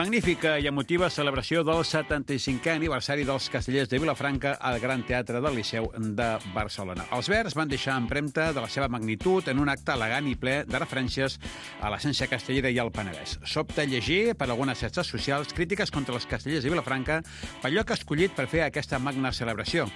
Magnífica i emotiva celebració del 75è aniversari dels Castellers de Vilafranca al Gran Teatre del Liceu de Barcelona. Els Verds van deixar empremta de la seva magnitud en un acte elegant i ple de referències a l'essència castellera i al Penedès. Sobta llegir per algunes xarxes socials crítiques contra els Castellers de Vilafranca pel lloc escollit per fer aquesta magna celebració.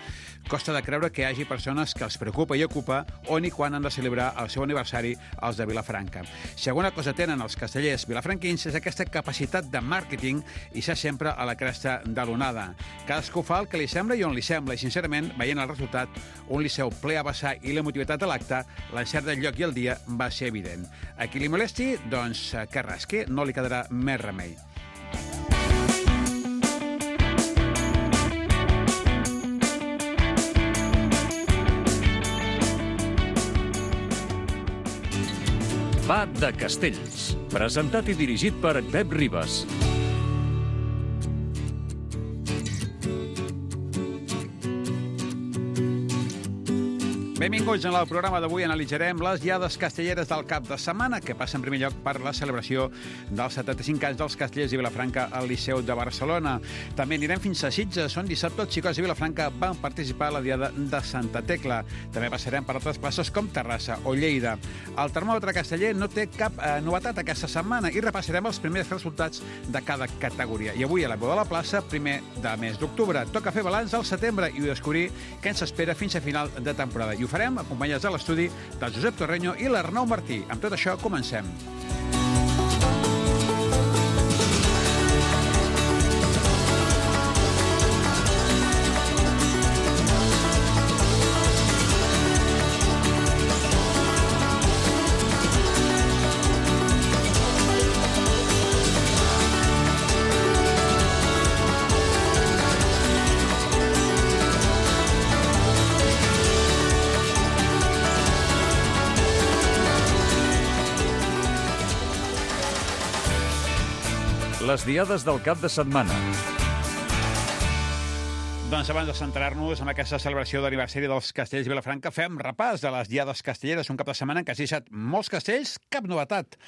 Costa de creure que hi hagi persones que els preocupa i ocupa on i quan han de celebrar el seu aniversari els de Vilafranca. Si alguna cosa tenen els castellers vilafranquins és aquesta capacitat de màrqueting i ser sempre a la cresta de l'onada. Cadascú fa el que li sembla i on li sembla, i sincerament, veient el resultat, un Liceu ple a vessar i l'emotivitat a l'acte, l'encert del lloc i el dia va ser evident. A qui li molesti, doncs que rasqui, no li quedarà més remei. Va de Castells, presentat i dirigit per Pep Ribas. Benvinguts. En el programa d'avui analitzarem les diades castelleres del cap de setmana, que passa en primer lloc per la celebració dels 75 anys dels Castellers de Vilafranca al Liceu de Barcelona. També anirem fins a Sitges, on dissabte els xicots de Vilafranca van participar a la diada de Santa Tecla. També passarem per altres places com Terrassa o Lleida. El termòmetre casteller no té cap novetat aquesta setmana i repassarem els primers resultats de cada categoria. I avui a la Veu de la Plaça, primer de mes d'octubre. Toca fer balanç al setembre i descobrir què ens espera fins a final de temporada. I ho farem acompanyats a l'estudi del Josep Torreño i l'Arnau Martí. Amb tot això, comencem. Les diades del cap de setmana. Doncs abans de centrar-nos en aquesta celebració d'aniversari dels Castellers de Vilafranca, fem repàs de les diades castelleres. Un cap de setmana en què s'ha deixat molts castells, cap novetat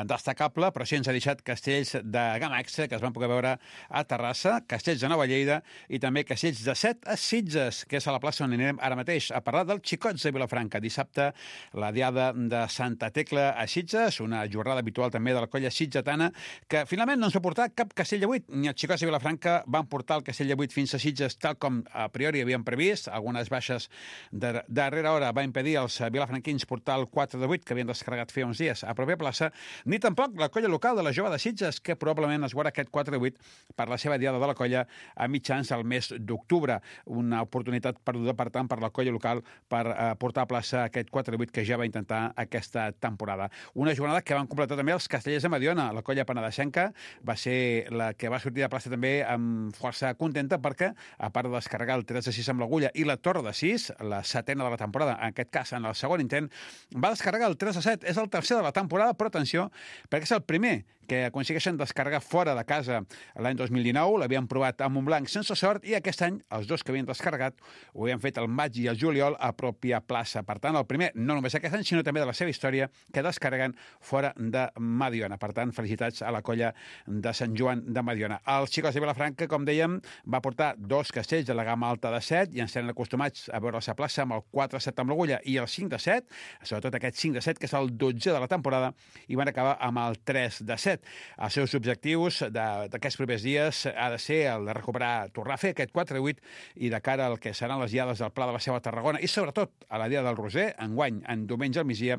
destacable, però sí ens ha deixat castells de gamma extra que es van poder veure a Terrassa, castells de Nova Lleida i també castells de Set a Sitges, que és a la plaça on anirem ara mateix a parlar dels xicots de Vilafranca. Dissabte, la diada de Santa Tecla a Sitges, una jornada habitual també de la colla sitgetana, que finalment no ens va portar cap castell de 8, ni els xicots de Vilafranca van portar el castell de 8 fins a Sitges, tal com a priori havien previst. Algunes baixes de darrera hora va impedir als vilafranquins portar el 4 de 8 que havien descarregat fa uns dies a pròpia plaça, ni tampoc la colla local de la Jove de Sitges, que probablement es veurà aquest 4 de 8 per la seva diada de la colla a mitjans del mes d'octubre. Una oportunitat perduda, per tant, per la colla local per portar a plaça aquest 4 de 8 que ja va intentar aquesta temporada. Una jornada que van completar també els castellers de Mediona. La colla penedesenca va ser la que va sortir de plaça també amb força contenta perquè, a part de descarregar el 3 de 6 amb l'agulla i la torre de 6, la setena de la temporada, en aquest cas en el segon intent, va descarregar el 3 de 7. És el tercer de la temporada, però atenció, perquè és el primer que aconsegueixen descarregar fora de casa l'any 2019. L'havien provat a Montblanc sense sort i aquest any els dos que havien descarregat ho havien fet el maig i el juliol a pròpia plaça. Per tant, el primer, no només aquest any, sinó també de la seva història, que descarreguen fora de Mediona. Per tant, felicitats a la colla de Sant Joan de Mediona. Els xicots de Vilafranca, com dèiem, va portar dos castells de la gamma alta de 7, i ens tenen acostumats a veure la plaça amb el 4-7 amb l'agulla i el 5-7, sobretot aquest 5-7, que és el 12 de la temporada, i van acabar amb el 3-7. Els seus objectius d'aquests propers dies ha de ser el de recuperar, tornar a fer aquest 4-8 i de cara al que seran les diades del Pla de la Seu a Tarragona i sobretot a la dia del Roser, enguany, en diumenge al migdia,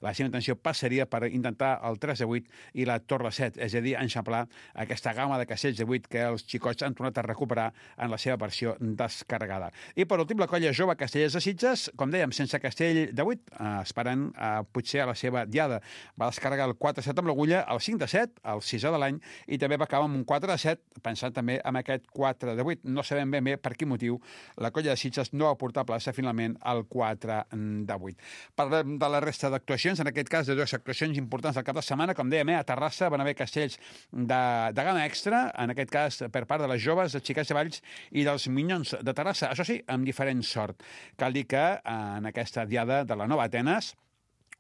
la seva intenció passaria per intentar el 3-8 i la Torre 7, és a dir, enxamplar aquesta gamma de castells de 8 que els xicots han tornat a recuperar en la seva versió descarregada. I per últim, la colla jove Castellers de Sitges, com dèiem, sense castell de 8, esperant potser a la seva diada. Va descarregar el 4-7 amb l'agulla, el 5-7, el 6è de l'any, i també va acabar amb un 4-7, pensant també en aquest 4-8. No sabem ben bé per quin motiu la colla de Sitges no va portar a plaça finalment el 4-8. Parlem de la resta d'actuacions, en aquest cas de dues actuacions importants del cap de setmana. Com dèiem, a Terrassa van haver castells de gamma extra, en aquest cas per part de les joves, de Xiquets de Valls i dels Minyons de Terrassa. Això sí, amb diferent sort. Cal dir que en aquesta diada de la Nova Atenes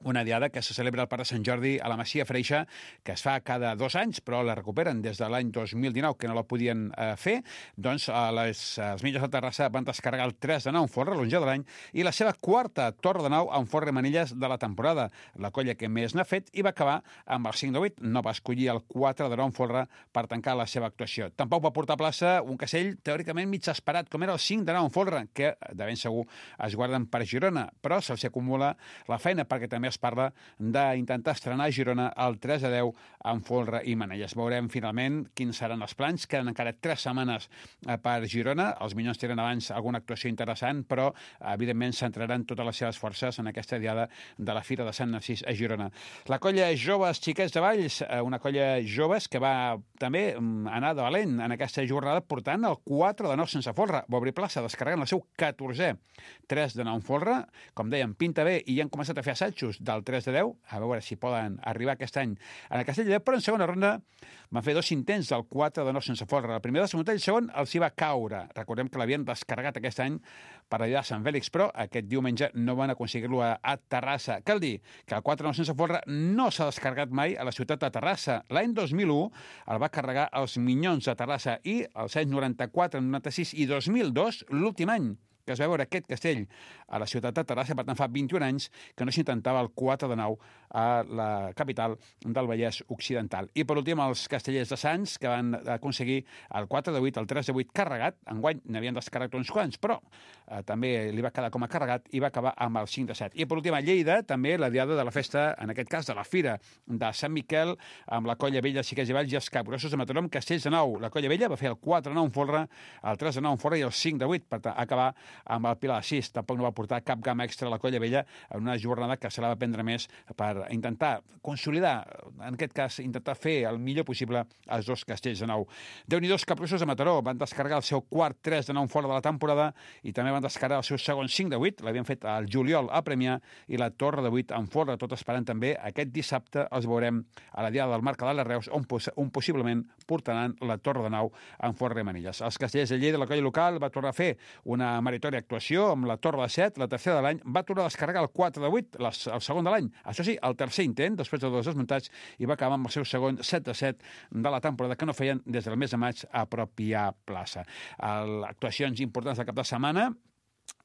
una diada que se celebra al Parc de Sant Jordi a la Masia Freixa, que es fa cada 2 anys, però la recuperen des de l'any 2019, que no la podien fer. Doncs els Millos de Terrassa van descarregar el 3 de 9 en folre, l'11 de l'any, i la seva quarta torre de 9 en folre i manilles de la temporada. La colla que més n'ha fet i va acabar amb el 5 de 8. No va escollir el 4 de 9 en folre per tancar la seva actuació. Tampoc va portar a plaça un castell teòricament mig esperat, com era el 5 de 9 en folre, que de ben segur es guarden per Girona, però se'ls acumula la feina perquè també es parla d'intentar estrenar a Girona el 3 de 10 en folre i manelles. Veurem finalment quins seran els plans. Queden encara 3 setmanes per Girona. Els Minyons tenen abans alguna actuació interessant, però evidentment centraran totes les seves forces en aquesta diada de la Fira de Sant Narcís a Girona. La colla Joves Xiquets de Valls, una colla joves que va també anar de valent en aquesta jornada portant el 4 de 9 sense folre. Va obrir plaça, descarregant el seu 14è 3 de 9 en folre. Com dèiem, pinta bé i han començat a fer assajos del 3 de 10, a veure si poden arribar aquest any en el Castell de 10, però en segona ronda van fer 2 intents del 4 de 9 sense folre. El primer de segon i el segon els hi va caure. Recordem que l'havien descarregat aquest any per allà a Sant Fèlix, però aquest diumenge no van aconseguir-lo a Terrassa. Cal dir que el 4 de 9 sense folre no s'ha descarregat mai a la ciutat de Terrassa. L'any 2001 el va carregar els Minyons de Terrassa i els anys 94, 96 i 2002, l'últim any que es va veure aquest castell a la ciutat de Terrassa, per tant fa 21 anys que no s'intentava el 4 de 9 a la capital del Vallès Occidental. I per últim els castellers de Sants, que van aconseguir el 4 de 8, el 3 de 8 carregat. Enguany n'havien descarregat uns quants, però també li va quedar com a carregat i va acabar amb el 5 de 7. I per últim a Lleida, també la diada de la festa, en aquest cas de la Fira de Sant Miquel, amb la colla vella Xiquets i Valls i els Capgrossos de Mataró amb castells de 9. La colla vella va fer el 4 de 9 en folre, el 3 de 9 en folre i el 5 de 8, per acabar amb el Pilar de 6. Tampoc no va portar cap gamma extra a la colla vella en una jornada que se la va prendre més per intentar consolidar, en aquest cas, intentar fer el millor possible els 2 castells de 9. Déu-n'hi-do, els Capgrossos de Mataró van descarregar el seu quart 3 de 9 en folre de la temporada i també van descarregar el seu segon 5 de 8, l'havien fet al juliol a Premià, i la torre de 8 en folre, tot esperant també aquest dissabte els veurem a la diada del Mercadal de Reus, on possiblement portaran la torre de 9 en folre i manilles. Els castellers de Lleida, la colla local, va tornar a fer una meritòria actuació amb la torre de 7, la tercera de l'any, va tornar a descarregar el 4 de 8, el segon de l'any. Això sí, el tercer intent, després de 2 desmuntats, i va acabar amb el seu segon 7 de 7 de la temporada, que no feien des del mes de maig a pròpia plaça. Actuacions importants del cap de setmana,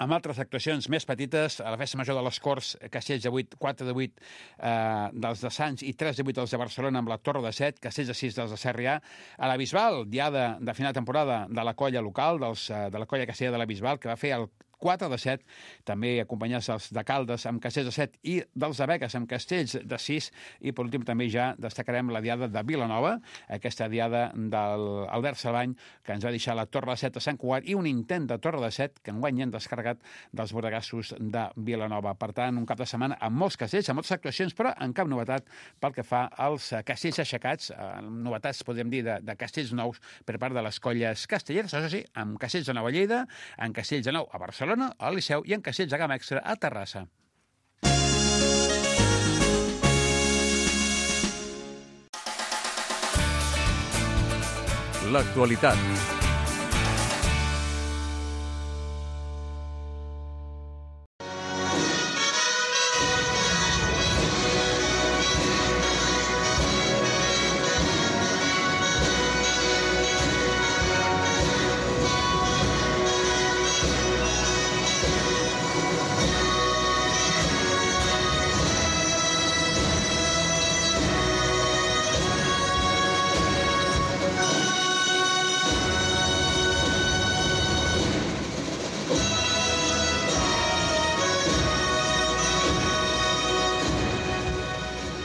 amb altres actuacions més petites, a la festa major de les Corts, castells de 8, 4 de 8 dels de Sants i 3 de 8 dels de Barcelona amb la torre de 7, castells de 6 dels de Sarrià. A la Bisbal, diada de final de temporada de la colla local, de la colla castellera de la Bisbal, que va fer el 4 de 7, també acompanyats dels de Caldes amb castells de 7 i dels de Begues amb castells de 6, i per últim també ja destacarem la diada de Vilanova, aquesta diada d'Albert Salvany, que ens va deixar la torre de 7 a Sant Cugat i un intent de torre de 7 que enguany han descarregat dels bordegassos de Vilanova. Per tant, un cap de setmana amb molts castells, amb moltes actuacions, però amb cap novetat pel que fa als castells aixecats, novetats, podríem dir, de castells nous per part de les colles castelleres, això sí, amb castells de nou a Lleida, amb castells de nou a Barcelona, al Liceu i en castells de gamma extra a Terrassa. L'actualitat.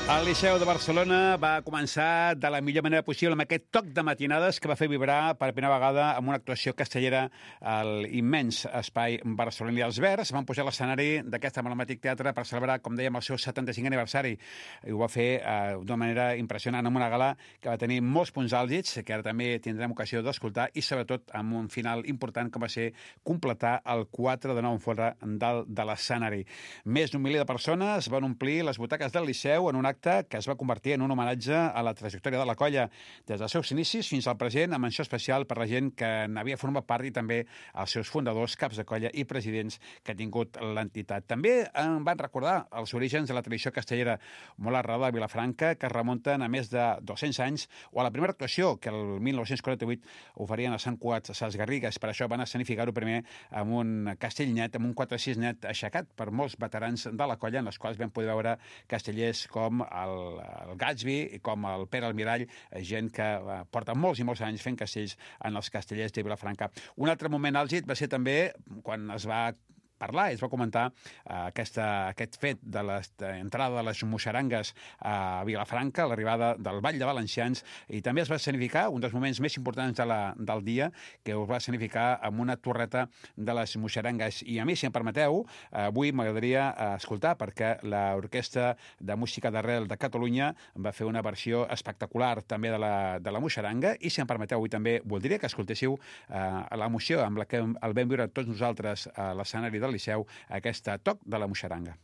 El Liceu de Barcelona va començar de la millor manera possible amb aquest toc de matinades que va fer vibrar per primera vegada amb una actuació castellera al immens espai barceloní. Els Verds van pujar a l'escenari d'aquest emblemàtic teatre per celebrar, com dèiem, el seu 75è aniversari. I ho va fer d'una manera impressionant, amb una gala que va tenir molts punts àlgids, que ara també tindrem ocasió d'escoltar, i sobretot amb un final important com va ser completar el 4 de 9 en folre de l'escenari. Més d'un miler de persones van omplir les butaques del Liceu en un acte acte que es va convertir en un homenatge a la trajectòria de la colla, des dels seus inicis fins al present, amb menció especial per la gent que n'havia format part i també els seus fundadors, caps de colla i presidents que ha tingut l'entitat. També en van recordar els orígens de la tradició castellera molt arrelada a Vilafranca, que es remunten a més de 200 anys, o a la primera actuació que el 1948 oferien a Sant Cugat, a Ses Garrigues. Per això van escenificar-ho primer amb un castell net, amb un 4-6 net aixecat per molts veterans de la colla, en les quals vam poder veure castellers com el Gatsby i com el Pere Almirall, gent que porta molts i molts anys fent castells en els castellers de Vilafranca. Un altre moment àlgid va ser també quan es va parlar, es va comentar aquest fet de l'entrada de les moixarangues a Vilafranca, l'arribada del Ball de Valencians, i també es va escenificar un dels moments més importants del dia, que us va escenificar amb una torreta de les moixarangues. I a mi, si em permeteu, avui m'agradaria escoltar, perquè l'Orquestra de Música d'Arrel de Catalunya va fer una versió espectacular també de la moixaranga, i si em permeteu, avui també voldria que escoltéssiu l'emoció amb la que el vam viure tots nosaltres a l'escenari del Liceu, aquest toc de la moixaranga.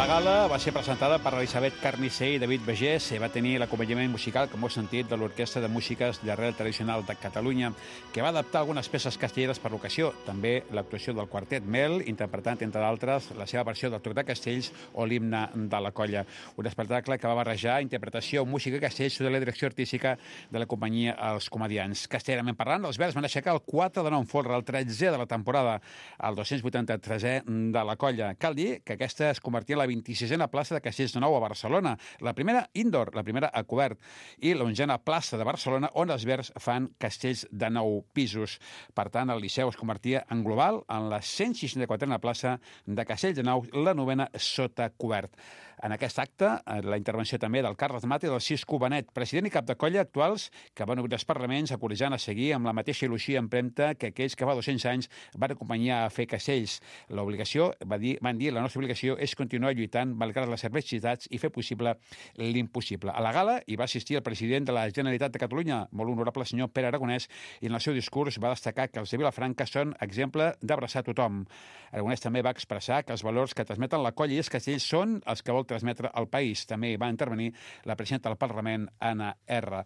gala va ser presentada per Elisabet Carnicer i David Begés i va tenir l'acompanyament musical, com heu sentit, de l'Orquestra de Músiques d'Arrel Tradicional de Catalunya, que va adaptar algunes peces castelleres per l'ocasió. També l'actuació del Quartet Mel, interpretant, entre d'altres, la seva versió del Toc de Castells o l'himne de la colla. Un espectacle que va barrejar interpretació, música i castells sota la direcció artística de la companyia Els Comediants. Castellerament parlant, els Verds van aixecar el 4 de 9 folre, el 13è de la temporada, el 283è de la colla. Cal dir que aquesta es convertia en la 26a plaça de Castells de Nou a Barcelona, la primera indoor, la primera a cobert, i la 11a plaça de Barcelona, on els Verds fan castells de 9 pisos. Per tant, el Liceu es convertia en global en la 164a plaça de Castells de Nou, la 9a sota cobert. En aquest acte, la intervenció també del Carles Mata i del Cisco Benet, president i cap de colla actuals, que van obrir els parlaments acordant a seguir amb la mateixa il·lusió i empremta que aquells que fa 200 anys van acompanyar a fer castells. L'obligació, van dir, la nostra obligació és continuar lluitant malgrat les adversitats i fer possible l'impossible. A la gala hi va assistir el president de la Generalitat de Catalunya, molt honorable senyor Pere Aragonès, i en el seu discurs va destacar que els de Vilafranca són exemple d'abraçar tothom. Aragonès també va expressar que els valors que transmeten la colla i els castells són els que vol transmetre al país. També hi va intervenir la presidenta del Parlament, Anna R.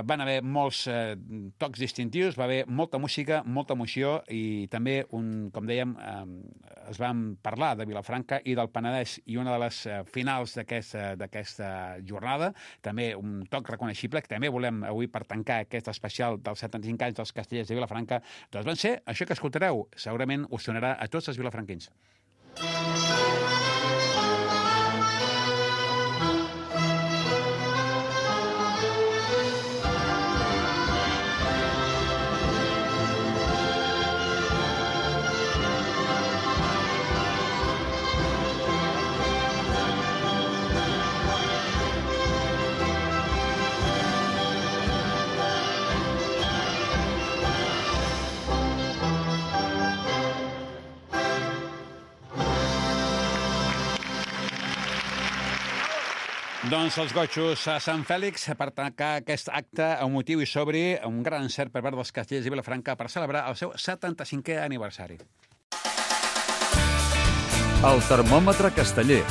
Van haver molts tocs distintius, va haver molta música, molta emoció i també, com dèiem, es van parlar de Vilafranca i del Penedès, i una de les finals d'aquesta jornada, també un toc reconeixible, que també volem avui per tancar aquest especial dels 75 anys dels castellers de Vilafranca, doncs van ser això que escoltareu. Segurament us sonarà a tots els vilafranquins. Doncs els gotxos a Sant Fèlix per tancar aquest acte emotiu i sobri, un gran encert per part dels Castellers i Vilafranca per celebrar el seu 75è aniversari. El termòmetre casteller.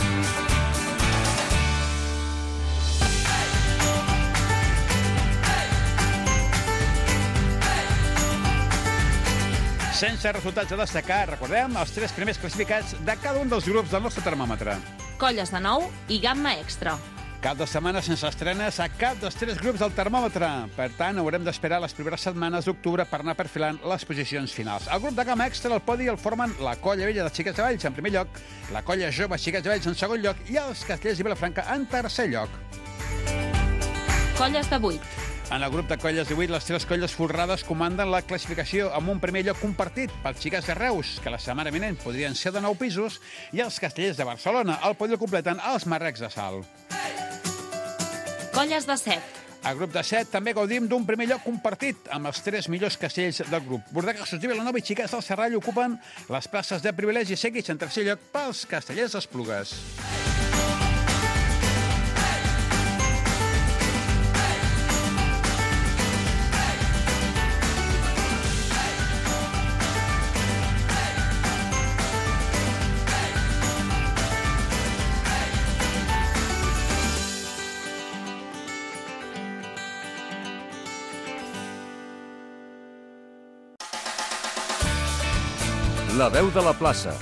Sense resultats a destacar, recordem els 3 primers classificats de cada un dels grups del nostre termòmetre. Colles de nou i gamma extra. Cap de setmana sense estrenes a cap dels 3 grups del termòmetre. Per tant, haurem d'esperar les primeres setmanes d'octubre per anar perfilant les posicions finals. El grup de gamma extra al podi el formen la Colla Vella de Xiquets de Valls en primer lloc, la Colla Jove Xiquets de Valls en segon lloc i els Castellers i Vilafranca en tercer lloc. Colles de 8. En el grup de colles de 8, les 3 colles folrades comanden la classificació amb un primer lloc compartit pels Xiquets de Reus, que la setmana vinent podrien ser de 9 pisos, i els Castellers de Barcelona. El podi el completen els Marrecs de Salt. Colles de 7. Al grup de 7 també gaudim d'un primer lloc compartit amb els 3 millors castells del grup. Bordegassos de Vilanova i Xiquets del Serrall ocupen les places de privilegi seguits en tercer lloc pels Castellers d'Esplugues. La veu de la plaça.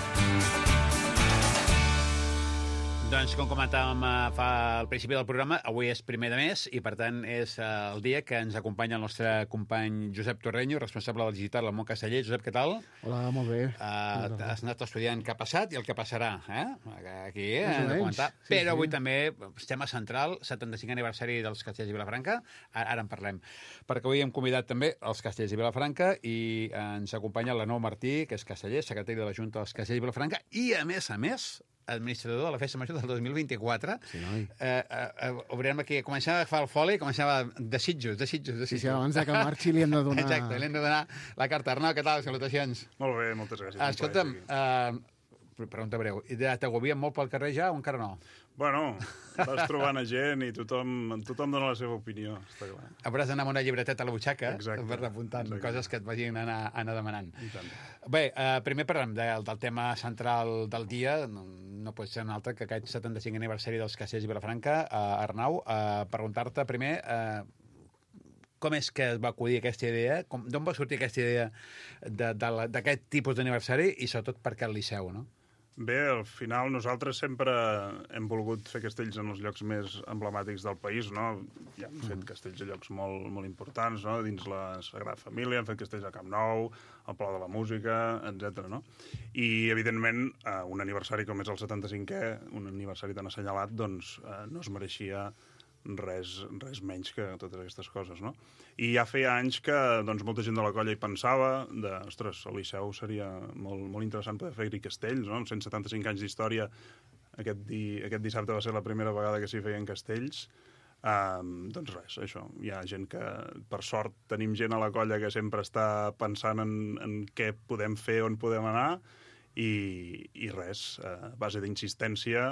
Doncs, com comentàvem al principi del programa, avui és primer de mes i, per tant, és el dia que ens acompanya el nostre company Josep Torreño, responsable del digital al món casteller. Josep, què tal? Hola, molt bé. Has anat estudiant què ha passat i el que passarà, aquí, Més o de comentar. menys. Però avui també, tema central, 75 aniversari dels Castellers i Vilafranca. Ara en parlem. Perquè avui hem convidat també els Castellers i Vilafranca i ens acompanya l'Anou Martí, que és casteller, secretari de la Junta dels Castellers i Vilafranca i, a més, administrador de la Festa Major del 2024. Sí, noi. Obrirem aquí, començava a agafar el foli i començava desitjos. Sí, abans de que marxi li hem de donar... Exacte, li hem de donar la carta. Arnau, què tal? Salutacions. Molt bé, moltes gràcies. Escolta'm, pregunta breu, t'agobien molt pel carrer ja o encara no? Bueno, vas trobant a gent i tothom dona la seva opinió, està clar. Hauràs d'anar amb una llibreteta a la butxaca Exacte. per apuntant coses que et vagin anar demanant. I tant. Bé, primer parlem del tema central del dia, no pot ser un altre que aquest 75 aniversari dels Castellers i Vilafranca. Arnau, preguntar-te primer com és que es va acudir aquesta idea, d'on va sortir aquesta idea d'aquest tipus d'aniversari i sobretot per què el Liceu, no? Bé, al final nosaltres sempre hem volgut fer castells en els llocs més emblemàtics del país, no? Ja hem fet castells a llocs molt, molt importants, no? Dins la Sagrada Família, hem fet castells a Camp Nou, al Palau de la Música, etc. no? I, evidentment, un aniversari com és el 75è, un aniversari tan assenyalat, doncs no es mereixia res menys que totes aquestes coses, no? I ja feia anys que doncs, molta gent de la colla hi pensava ostres, al Liceu seria molt interessant poder fer-hi castells, no? En 175 anys d'història, aquest dissabte va ser la primera vegada que s'hi feien castells. Doncs res, això. Hi ha gent que, per sort, tenim gent a la colla que sempre està pensant en què podem fer, on podem anar, i res, a base d'insistència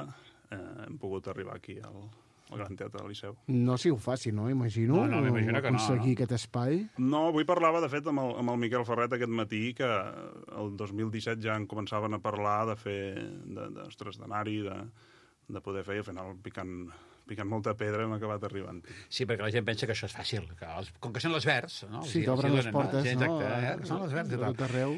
hem pogut arribar aquí al Gran Teatre del Liceu. No ha sigut fàcil, no? Imagino. No, m'imagino que no. Aconseguir aquest espai. No, avui parlava, de fet, amb el Miquel Ferret aquest matí, que el 2017 ja en començaven a parlar de fer, d'anar-hi, de poder fer, i al final picant molta pedra hem acabat arribant. Sí, perquè la gent pensa que això és fàcil. Com que són les Verds, no? Sí, t'obren les portes, sí, no? Exacte, són les Verds i tal. Tot arreu.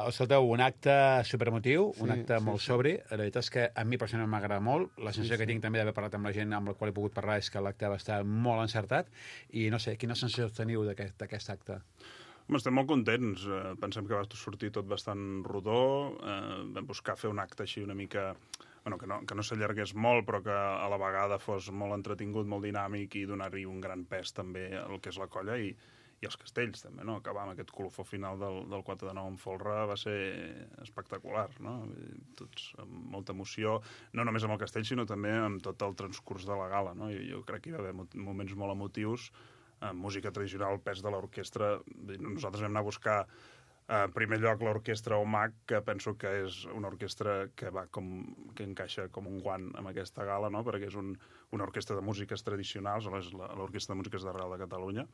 Escolteu, un acte superemotiu, un acte molt sí. sobri. La veritat és que a mi personalment m'agrada molt. La sensació que tinc també d'haver parlat amb la gent amb la qual he pogut parlar és que l'acte va estar molt encertat. I no sé, quina sensació teniu d'aquest acte? Estem molt contents. Pensem que va sortir tot bastant rodó. Vam buscar fer un acte així una mica... Bueno, que no s'allargués molt, però que a la vegada fos molt entretingut, molt dinàmic i donar-hi un gran pes també al que és la colla i els castells també, no? Acabar amb aquest colofó final del 4 de 9 en folre va ser espectacular, no? Tots amb molta emoció, no només amb el castell, sinó també amb tot el transcurs de la gala, no? Jo crec que hi va haver moments molt emotius, música tradicional, pes de l'orquestra. Nosaltres vam anar a buscar En primer lloc, l'orquestra OMAC, que penso que és una orquestra que que encaixa com un guant amb aquesta gala, no? Perquè és una orquestra de músiques tradicionals, és l'Orquestra de Músiques de Real de Catalunya,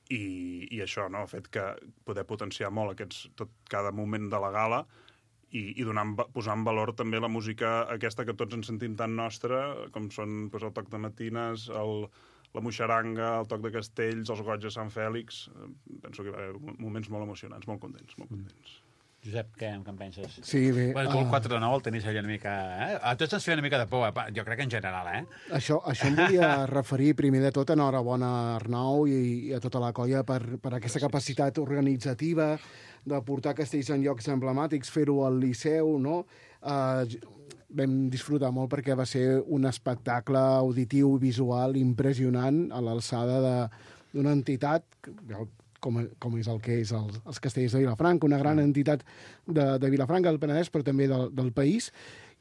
i això, no?, ha fet que poder potenciar molt cada moment de la gala i posar en valor també la música aquesta que tots ens sentim tan nostra, com són el toc de matines, la moixaranga, el toc de castells, els goig de Sant Fèlix. Penso que hi va haver moments molt emocionants, molt contents, molt contents. Josep, què en penses? Sí, bé. Bueno, tu el 4 de 9 el tenis allà una mica... A tots ens feia una mica de por, jo crec que en general, Això em volia referir primer de tot. Enhorabona a Arnau i a tota la colla per aquesta capacitat organitzativa de portar castells en llocs emblemàtics, fer-ho al Liceu, no? Vam disfrutar molt perquè va ser un espectacle auditiu i visual impressionant a l'alçada d'una entitat com és el que és els Castells de Vilafranca, una gran entitat de Vilafranca, del Penedès, però també del país,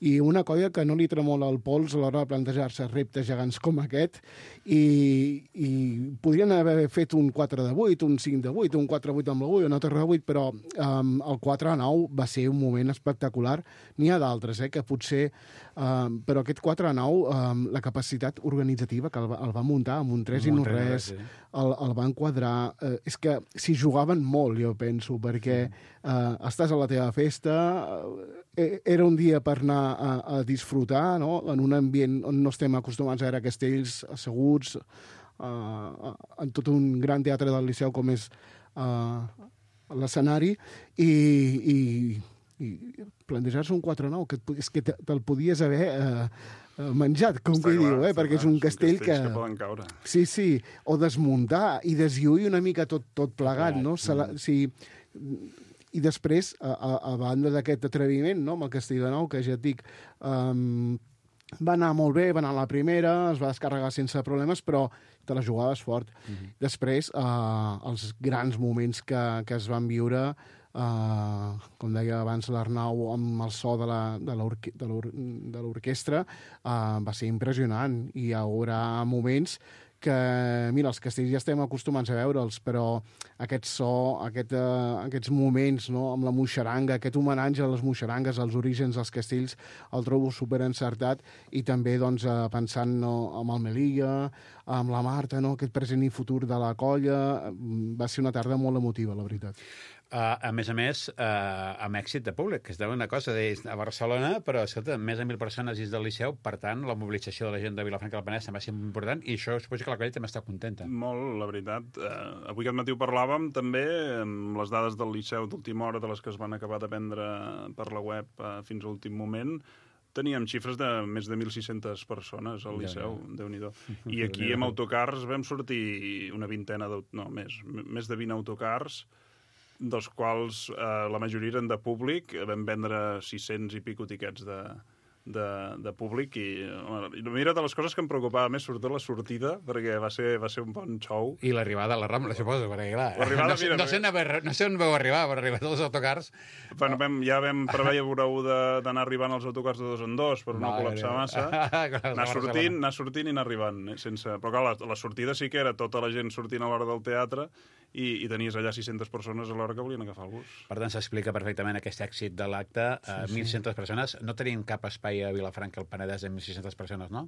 i una colla que no li tremola el pols a l'hora de plantejar-se reptes gegants com aquest, i podrien haver fet un 4 de 8, un 5 de 8, un 4 de 8 amb la 8, una torre de 8, però el 4 de 9 va ser un moment espectacular. N'hi ha d'altres, que potser... però aquest 4 de 9, la capacitat organitzativa que el va muntar amb un 3 i no res, el va enquadrar... És que s'hi jugaven molt, jo penso, perquè estàs a la teva festa, era un dia per anar a disfrutar, no?, en un ambient on no estem acostumats a veure castells asseguts, en tot un gran teatre del Liceu com és l'escenari, i plantejar-se un 4-9, que és que te'l podies haver menjat, com que diu, perquè és un castell que poden caure. Sí, o desmuntar i deslluir una mica tot plegat, no? Sí. I després, a banda d'aquest atreviment, no?, amb el Castell de Nou, que ja et dic, va anar molt bé, va anar a la primera, es va descarregar sense problemes, però te la jugaves fort. Després, els grans moments que es van viure, com deia abans l'Arnau, amb el so de l'orquestra, va ser impressionant. I hi haurà moments que, mira, els castells ja estem acostumats a veure'ls, però aquest so, aquests moments, no?, amb la moixaranga, aquest homenatge a les moixarangues, als orígens dels castells, el trobo superencertat, i també, doncs, pensant amb el Melilla, amb la Marta, no?, aquest present i futur de la colla, va ser una tarda molt emotiva, la veritat. A més, amb èxit de públic, que es deu una cosa a Barcelona, però, escolta, més de 1.000 persones dins del Liceu, per tant, la mobilització de la gent de Vilafranca del Penedès també va ser important, i això suposo que la colla també està contenta. Molt, la veritat. Avui aquest matí ho parlàvem també amb les dades del Liceu d'última hora, de les que es van acabar de prendre per la web fins a l'últim moment. Teníem xifres de més de 1.600 persones al Liceu, Déu-n'hi-do. I aquí amb autocars vam sortir una vintena, més de 20 autocars, dels quals la majoria eren de públic. Vam vendre 600 i pico tiquets de públic, i mira, de les coses que em preocupava més, sobretot la sortida, perquè va ser un bon show. I l'arribada a la Rambla, suposo, perquè clar, no sé on vau arribar, per arribar tots els autocars. Bueno, ja vam preveure d'anar arribant als autocars de 2 en 2 per no col·lapsar massa. Anar sortint i anar arribant. Però clar, la sortida sí que era tota la gent sortint a l'hora del teatre, i tenies allà 600 persones a l'hora que volien agafar el bus. Per tant, s'explica perfectament aquest èxit de l'acte. 1.600 persones. No tenim cap espai a Vilafranca, al Penedès, de 1.600 persones, no?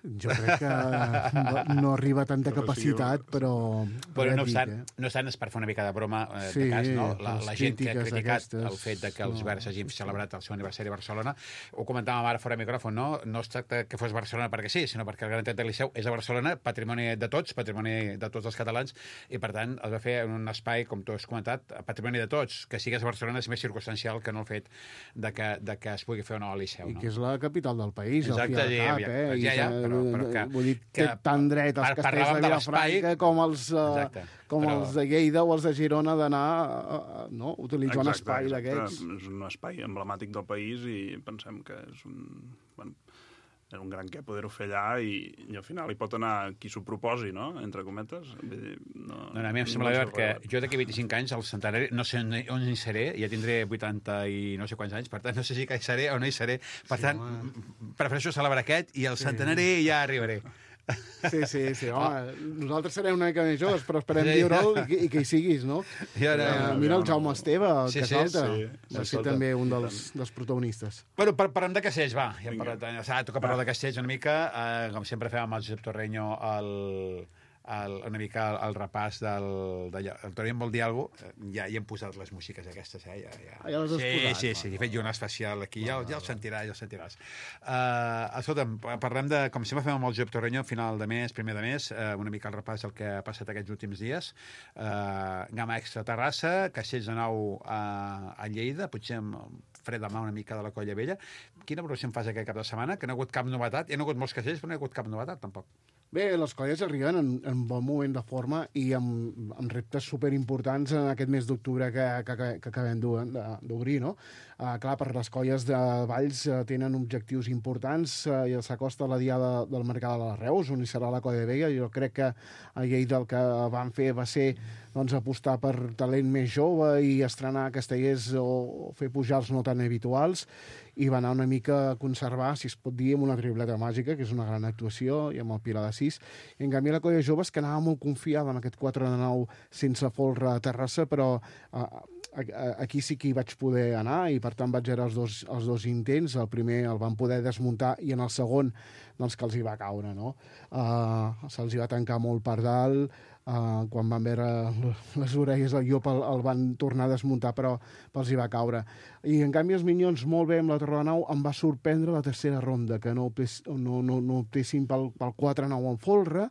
Jo crec que no arriba tanta capacitat, però no obstant, és per fer una mica de broma de cas, no? La gent que ha criticat el fet que els Verds hagin celebrat el seu aniversari a Barcelona, ho comentàvem ara fora de micròfon, no es tracta que fos Barcelona perquè sí, sinó perquè el Gran Teatre del Liceu és a Barcelona, patrimoni de tots, patrimoni de tots els catalans, i per tant es va fer en un espai, com tu has comentat, patrimoni de tots. Que sigues a Barcelona és més circumstancial que no el fet de que es pugui fer o no al Liceu. I que és la capital del país, exacte, al fi ja, però que... Vull dir, té tant dret els castells de Vilafranca com els de Lleida o els de Girona d'anar a utilitzar un espai d'aquests. És un espai emblemàtic del país i pensem que és un gran què poder-ho fer allà, i al final hi pot anar qui s'ho proposi, no?, entre cometes. A mi em sembla bé que jo d'aquí 25 anys, al centenari, no sé on hi seré, ja tindré 80 i no sé quants anys, per tant, no sé si hi seré o no hi seré. Per tant, prefereixo celebrar aquest, i al centenari ja arribaré. Sí, home, nosaltres serem una mica més joves, però esperem viure'l i que hi siguis, no? Mira el Jaume Esteve, el Caselta, va ser també un dels protagonistes. Bueno, parlem de castells, va. Ja toca parlar de castells una mica. Com sempre fem amb el Josep Torreño una mica el repàs del el Torreño vol dir alguna cosa, ja hi hem posat les músiques aquestes, ja les has posat? Sí, he fet jo un especial aquí, ja el sentiràs. Escolta'm, parlem de, com sempre fem amb el Josep Torreño, final de mes, primer de mes, una mica el repàs del que ha passat aquests últims dies. Gamma Extra a Terrassa, Castells de Nou a Lleida, potser fred de mà una mica de la Colla Vella. Quina valoració em fas aquest cap de setmana? Que no ha hagut cap novetat. Hi ha hagut molts castells, però no hi ha hagut cap novetat, tampoc. Bé, les colles arriben en bon moment de forma i amb reptes superimportants en aquest mes d'octubre que acabem d'obrir, no? Clar, per les colles de Valls tenen objectius importants i s'acosta la diada del Mercat de les Reus, on hi serà la Colla Vella. Jo crec que a Lleida el que van fer va ser apostar per talent més jove i estrenar castellers o fer pujals no tan habituals, i va anar una mica a conservar, si es pot dir, amb una tripleta màgica, que és una gran actuació, i amb el Pilar de 6. I en canvi la Colla Joves, que anava molt confiada amb aquest 4 de 9 sense folre a Terrassa, però aquí sí que hi vaig poder anar i per tant vaig veure els dos intents. El primer el van poder desmuntar i en el segon doncs que els hi va caure, no? Se'ls hi va tancar molt per dalt, quan van veure les orelles del llop el van tornar a desmuntar, però els hi va caure. I en canvi els Minyons molt bé amb la Torre de Nau. Em va sorprendre la tercera ronda, que no optessin pel 4-9 en folre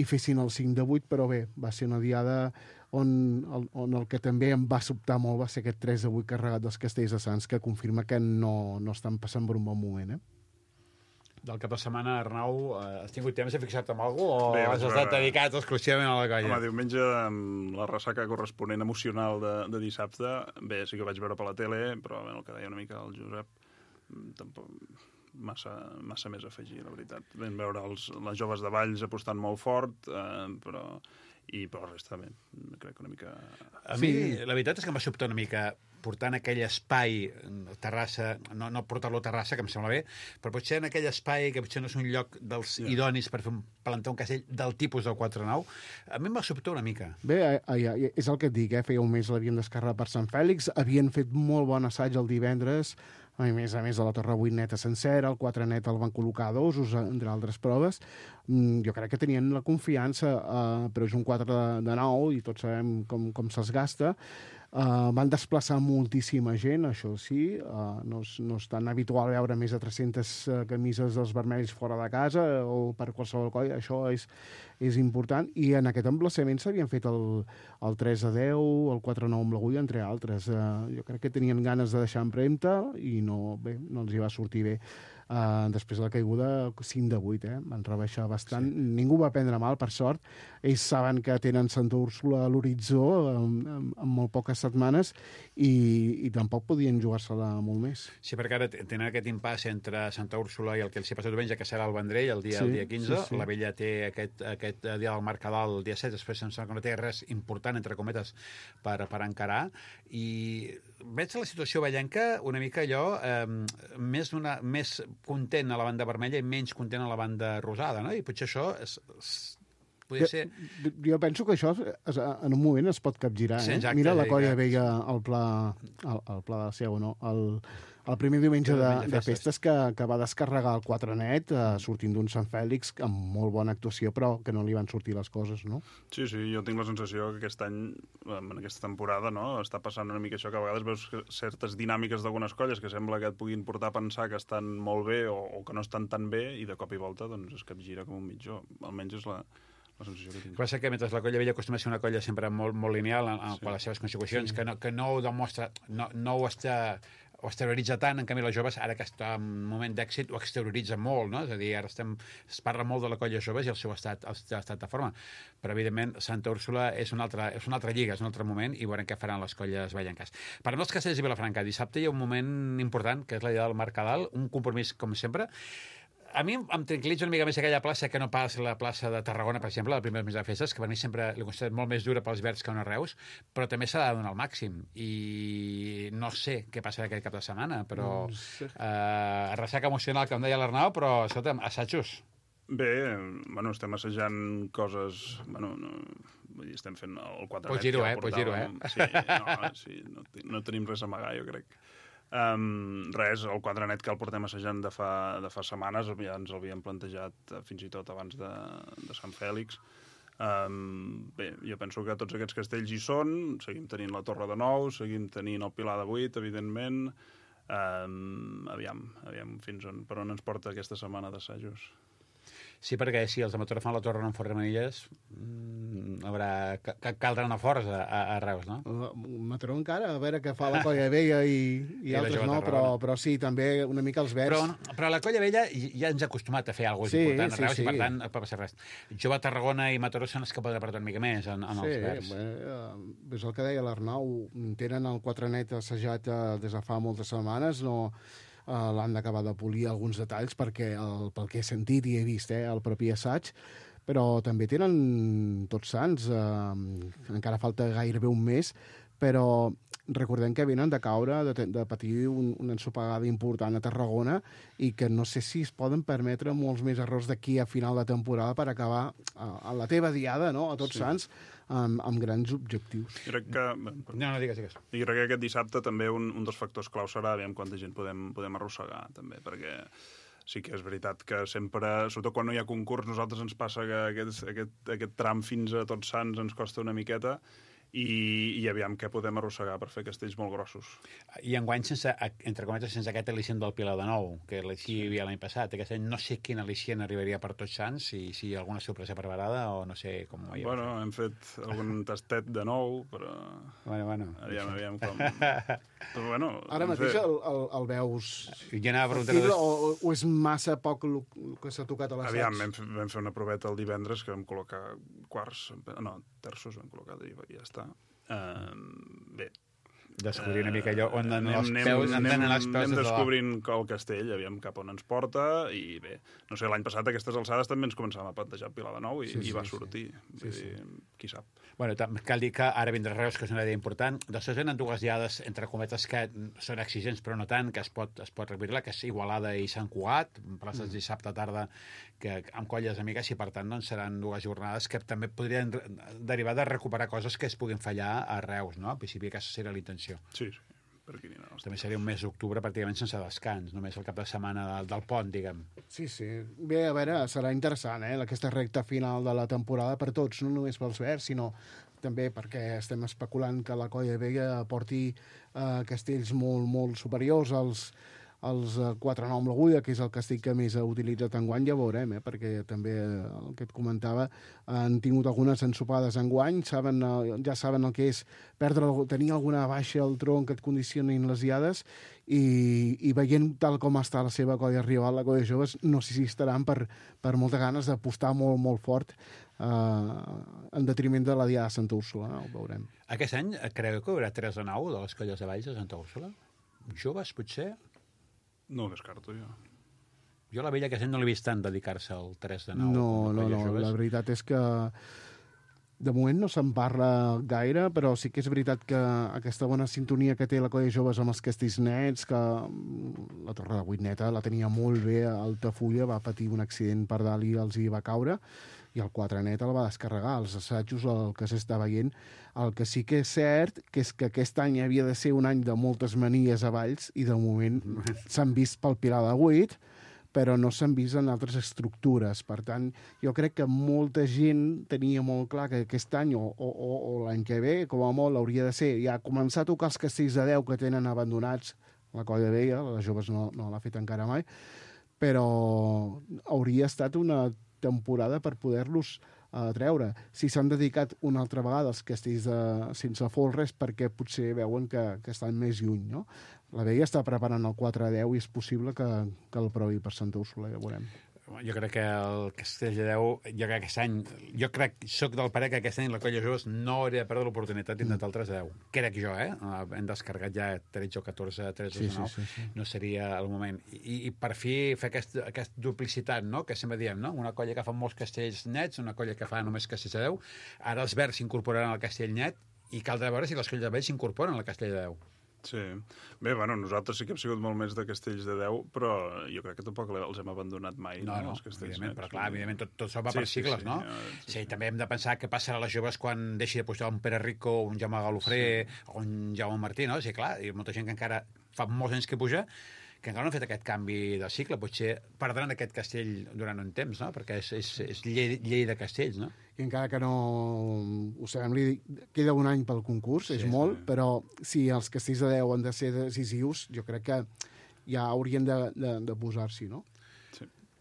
i fessin el 5-8, però bé, va ser una diada on el que també em va sobtar molt va ser aquest 3-8 carregat dels Castells de Sants, que confirma que no estan passant per un bon moment, Del cap de setmana, Arnau, has tingut temps de fixar-te en alguna cosa o has estat dedicat exclusivament a la colla? Home, diumenge, amb la ressaca corresponent emocional de dissabte, bé, sí que vaig veure per la tele, però el que deia una mica el Josep, tampoc massa més a afegir, la veritat. Vam veure les joves de Valls apostant molt fort, però la resta, bé, crec que una mica... A mi, la veritat és que em va sobtar una mica portant aquell espai a Terrassa, no portar-lo a Terrassa, que em sembla bé, però potser en aquell espai, que potser no és un lloc dels idonis per plantar un castell del tipus del 4-9, a mi em va sobtar una mica. Bé, és el que et dic, feia un mes l'havien descarregat per Sant Fèlix, havien fet molt bon assaig el divendres, a més de la Torre 8 neta sencera, el 4 net el van col·locar a dosos, entre altres proves. Jo crec que tenien la confiança, però és un 4 de 9 i tots sabem com se'ls gasta. Van desplaçar moltíssima gent, això sí, no és tan habitual veure més de 300 camises dels vermells fora de casa o per qualsevol colla, això és important, i en aquest emplaçament s'havien fet el 3-10, el 4-9 amb l'agulla, entre altres. Jo crec que tenien ganes de deixar empremta i no els hi va sortir bé. Després de la caiguda 5-8, van rebaixar bastant. Sí. Ningú va prendre mal, per sort. Ells saben que tenen Santa Úrsula a l'horitzó en molt poques setmanes i tampoc podien jugar-se-la molt més. Sí, perquè ara tenen aquest impàs entre Santa Úrsula i el que els hi passa diumenge, que serà el Vendrell, el dia 15. Sí. La Vella té aquest dia del Mercadal el dia 7, després em sembla que no té res important, entre cometes, per encarar. I veig la situació vellenca una mica allò, més content a la banda vermella i menys content a la banda rosada, no? I potser això podria ser... Jo penso que això en un moment es pot capgirar. Sí, exacte, mira la Colla veia el pla de Seu, no? El primer diumenge de festes que va descarregar el 4 net sortint d'un Sant Fèlix amb molt bona actuació, però que no li van sortir les coses, no? Sí, jo tinc la sensació que aquest any, en aquesta temporada, no, està passant una mica això, que a vegades veus certes dinàmiques d'algunes colles que sembla que et puguin portar a pensar que estan molt bé o que no estan tan bé, i de cop i volta doncs es capgira com un mitjó. Almenys és la sensació que tinc. Passa que mentre la Colla Vella acostuma a ser una colla sempre molt lineal en les seves consecucions, que no ho demostra, no ho exterioritza tant, en canvi les joves, ara que està en un moment d'èxit, ho exterioritza molt, no? És a dir, ara es parla molt de la colla joves i el seu estat de forma, però evidentment Santa Úrsula és una altra lliga, és un altre moment, i veurem què faran les colles vellenques. Per als Castells i Vilafranca, dissabte hi ha un moment important, que és la dia del Mercadal, un compromís, com sempre. A mi em tranquil·litza una mica més aquella plaça que no pas la plaça de Tarragona, per exemple, la primera de festes, que per mi sempre l'he considerat molt més dura pels verds que una Reus, però també s'ha de donar el màxim. I no sé què passarà aquest cap de setmana, però ressaca emocional, com deia l'Arnau, però, escolta'm, assajos. Bé, bueno, estem assajant coses... Bueno, no, vull dir, estem fent el 4 Pots dir-ho, pots dir-ho, Sí, no tenim res a amagar, jo crec. Res, el 4 net que el portem assajant de fa setmanes, ja ens l'havíem plantejat fins i tot abans de Sant Fèlix. Bé, jo penso que tots aquests castells hi són, seguim tenint la Torre de Nou, seguim tenint el Pilar de 8, evidentment. Aviam per on ens porta aquesta setmana d'assajos. Sí, perquè si els de Mataró fan la Torre en Fort Manilles, caldrà una força a Reus, no? Mataró encara, a veure què fa la Colla Vella i altres no, però sí, també una mica els verds. Però la Colla Vella ja ens ha acostumat a fer alguna cosa important a Reus i per tant no pot passar res. Jove Tarragona i Mataró són els que poden apretar una mica més en els verds. És el que deia l'Arnau, tenen el 4 net assajat des de fa moltes setmanes, no... l'han d'acabar de polir alguns detalls perquè pel que he sentit i he vist el propi assaig, però també tenen Tots Sants, encara falta gairebé un mes, però recordem que venen de caure, de patir una ensopegada important a Tarragona i que no sé si es poden permetre molts més errors d'aquí a final de temporada per acabar a la teva diada, no? A Tots Sants, amb grans objectius. Crec que... No, digues. I crec que aquest dissabte també un dels factors clau serà aviam quanta gent podem arrossegar, també, perquè sí que és veritat que sempre, sobretot quan no hi ha concurs, nosaltres ens passa que aquest tram fins a Tots Sants ens costa una miqueta i aviam què podem arrossegar per fer castells molt grossos. I enguany, entre cometes, sense aquest al·licient del Pilar de Nou, que hi havia l'any passat. Aquest any no sé quin al·licient arribaria per Tots Sants, si hi ha alguna sorpresa preparada o no sé com ho veiem. Bueno, hem fet algun tastet de nou, però... Bueno. Aviam com... Però, bueno, ara mateix el veus... Jo anava a preguntar... O és massa poc el que s'ha tocat a l'assaig? Aviam, vam fer una proveta el divendres que vam col·locar terços vam col·locar i ja està. Bé. Descobrir una mica allò on anem descobrint el castell, aviam cap on ens porta, i bé, no sé, l'any passat a aquestes alçades també ens començàvem a plantejar Pilar de Nou i va sortir. Qui sap. Bueno, cal dir que ara vindrà Reus, que és una idea important. Després venen dues diades, entre cometes, que són exigents, però no tant, que es pot repetir-la, que és Igualada i Sant Cugat, places dissabte tarda, que amb colles amigues, i per tant doncs, seran dues jornades que també podrien derivar de recuperar coses que es puguin fallar a Reus, no? Al principi aquesta seria la intenció. Sí, per aquí no. També seria un mes d'octubre pràcticament sense descans, només el cap de setmana del pont, diguem. Sí. Bé, a veure, serà interessant, aquesta recta final de la temporada per tots, no només pels verds, sinó també perquè estem especulant que la Colla Vella porti castells molt, molt superiors als 4 nou amb l'agulla, que és el castell que més ha utilitzat enguany, ja veurem, perquè també el que et comentava, han tingut algunes ensopades enguany, ja saben el que és tenir alguna baixa al tronc que et condicionin les diades, i veient tal com està la seva colla rival, la Colla Joves, no sé si estaran per moltes ganes d'apostar molt, molt fort en detriment de la diada de Santa Úrsula, ho veurem. Aquest any creu que hi haurà 3 de 9 de les colles de Valls de Santa Úrsula? Joves, potser? No ho descarto, jo. Jo la Vella aquest any no l'he vist tant dedicar-se al 3 de 9. No, la veritat és que de moment no se'n parla gaire, però sí que és veritat que aquesta bona sintonia que té la Colla Joves amb els castells nets, que la Torre de 8 neta la tenia molt bé a Altafulla, va patir un accident per dalt i els hi va caure, i el 4 net el va descarregar. Els assajos, el que s'està veient, el que sí que és cert que és que aquest any havia de ser un any de moltes manies a Valls i de moment s'han vist pel Pilar de 8, però no s'han vist en altres estructures. Per tant, jo crec que molta gent tenia molt clar que aquest any o l'any que ve, com a molt, hauria de ser ja començar a tocar els castells de 10 que tenen abandonats, la Colla Vella, les Joves no l'ha fet encara mai, però hauria estat una temporada per poder-los treure. Si s'han dedicat una altra vegada als castells sense folres, perquè potser veuen que estan més lluny, no? La Vella està preparant el 4-10 i és possible que el provi per Santa Úrsula, ja veurem. Jo crec que el castell de 10, soc del parer que aquest any la Colla Joves no hauria de perdre l'oportunitat d'intentar el 3-10. Crec jo, hem descarregat ja 13 o 14, 13 o 9, sí. No seria el moment. I per fi fer aquesta duplicitat, no?, que sempre diem, no? Una colla que fa molts castells nets, una colla que fa només castells de 10, ara els verds s'incorporaran al castell net i caldrà veure si les colles de vells s'incorporen al castell de 10. Sí. Bé, bueno, nosaltres sí que hem sigut molt més de castells de 10, però jo crec que tampoc els hem abandonat mai, No, els castells evidentment, nets. però clar, evidentment tot això va per cicles, no? Sí, També hem de pensar què passarà a les joves quan deixi de pujar un Pere Rico, un Jaume Galofré o un Jaume Martí, no? Sí, clar, hi ha molta gent que encara fa molts anys que puja, que encara no han fet aquest canvi de cicle. Potser perdran aquest castell durant un temps, no? Perquè és llei de castells, no? I encara que no ho sabem, queda un any pel concurs, és molt, però si els castells de 10 han de ser decisius, jo crec que ja haurien de posar-s'hi, no?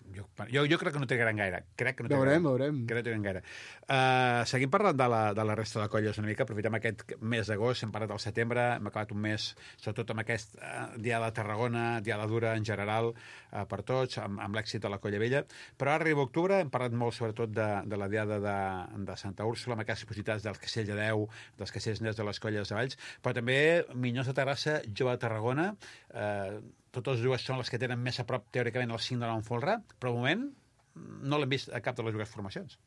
Jo crec que no trigaran gaire. Veurem. Crec que no trigaran gaire. Seguim parlant de la resta de colles una mica. Aprofitem aquest mes d'agost, hem parlat del setembre, hem acabat un mes, sobretot amb aquest Diada de Tarragona, Diada dura en general, per tots, amb l'èxit de la Colla Vella. Però ara arriba octubre, hem parlat molt sobretot de la Diada de Santa Úrsula, amb aquestes possibilitats del Castell de 10, dels castells nets de les colles de Valls, però també Minyons de Terrassa, Jove de Tarragona, totes dues són les que tenen més a prop, teòricament, el 5 de nou Folre, però, al moment, no l'hem vist a cap de les dues formacions.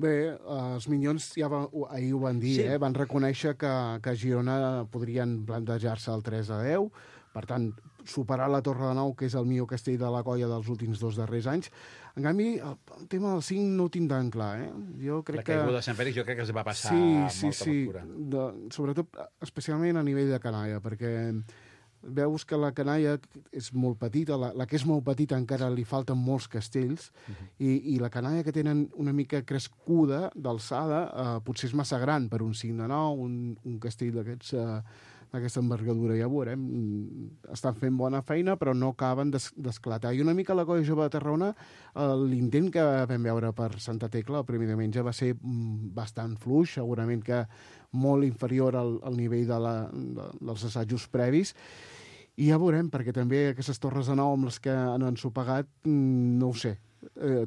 Bé, els Minyons ahir ho van dir, Sí. van reconèixer que a Girona podrien plantejar-se el 3 a 10, per tant, superar la Torre de Nou, que és el millor castell de la colla dels últims 2 darrers anys. En canvi, el tema del 5 no ho tinc tan clar, Jo crec la caiguda de Sant Fèlix jo crec que es va passar molta factura. Sobretot, especialment a nivell de canalla, perquè veus que la canalla és molt petita, la que és molt petita encara li falten molts castells, i la canalla que tenen una mica crescuda, d'alçada, potser és massa gran per un 5 de 9, un castell d'aquesta envergadura, ja ho veurem. Estan fent bona feina, però no acaben d'esclatar. I una mica la Colla Jove de Tarragona, l'intent que vam veure per Santa Tecla el primer diumenge va ser bastant fluix, segurament que molt inferior al nivell dels assajos previs, i ja veurem, perquè també aquestes torres de nou amb les que han ensopegat, no ho sé.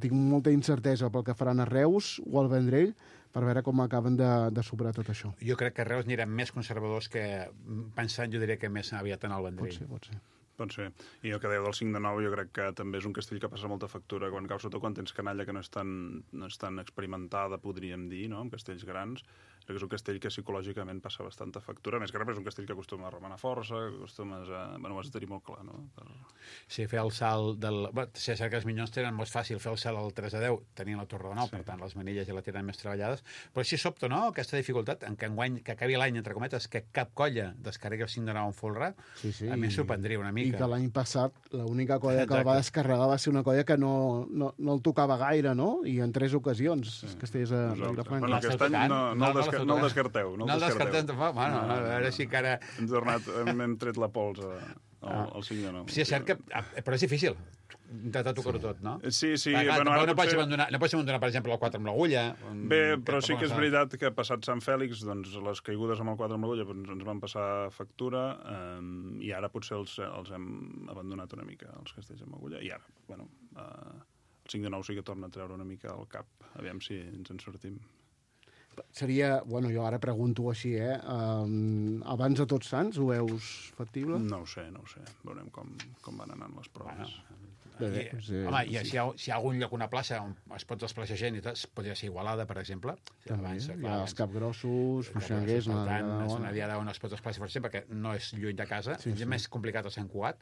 Tinc molta incertesa pel que faran a Reus o al Vendrell, per veure com acaben de superar tot això. Jo crec que Reus aniran més conservadors que, pensant, jo diria que més aviat en el Vendrell. Pot ser. I el que dèieu del 5 de 9 jo crec que també és un castell que passa molta factura quan cau, sobretot quan tens canalla que no és tan experimentada, podríem dir, no?, amb castells grans. Crec que és un castell que psicològicament passa bastanta factura. Més que res és un castell que acostuma a remenar força, que acostumes a... Bueno, ho has de tenir molt clar, no? Sí, fer el salt del... Si és cert que els Minyons tenen molt fàcil fer el salt al 3 a 10, tenint la Torre de 9, per tant, les manilles ja la tenen més treballades, però sí sobta, no?, aquesta dificultat en què enguany, que acabi l'any, entre cometes, que cap colla descarregui el 5 de 9 en folre, a mi em sorprendria una mica. I que l'any passat l'única colla que el va descarregar va ser una colla que no el tocava gaire, no?, i en 3 ocasions castells a Vilafranca. Bueno, aquest any no el descarteu. No el descartem tampoc. Bueno, a veure si encara... Hem tret la pols al 5 de 9. Sí, és cert que... Però és difícil intentar tocar-ho tot, no? Sí. Bueno, no pots abandonar, per exemple, el 4 amb l'agulla. Bé, però sí que és veritat que passat Sant Fèlix, doncs les caigudes amb el 4 amb l'agulla ens van passar factura, i ara potser els hem abandonat una mica, els castells amb agulla, i ara, bueno, el 5 de 9 sí que torna a treure una mica al cap, aviam si ens en sortim. Seria, bueno, jo ara pregunto així, abans de Tots Sants ho veus factible? No ho sé. Veurem com van anant les proves. Home, si hi ha algun lloc, una plaça on es pot desplaçar gent i tot, podria ser Igualada, per exemple. Abans, hi ha els Capgrossos, Moixanguers... Per tant, és una diada on es pot desplaçar, per exemple, perquè no és lluny de casa. És més complicat a Sant Cugat,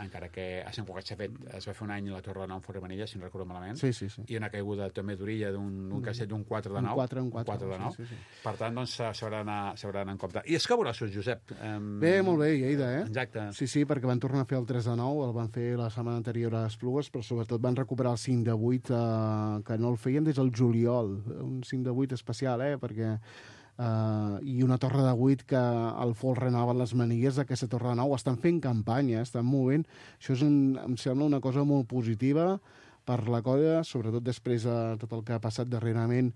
encara que a Sant Cugat es va fer un any la Torre de Nou en Formanilla, si no recordo malament, i una caiguda també d'orilla d'un castell d'un 4 de 9. Un 4 de 9. Per tant, doncs, s'haurà d'anar en compte. I els Capgrossos, Josep? Bé, molt bé, Lleida, Exacte. Sí, perquè van tornar a fer el 3 de 9, el van fer la setmana anterior a Esplugues, però sobretot van recuperar el 5 de 8, que no el feien des del juliol. Un 5 de 8 especial, perquè... I una torre de 8 que el folre anava les manilles d'aquesta torre de 9. Estan fent campanya, estan movent. Això em sembla una cosa molt positiva per la colla, sobretot després de tot el que ha passat darrerament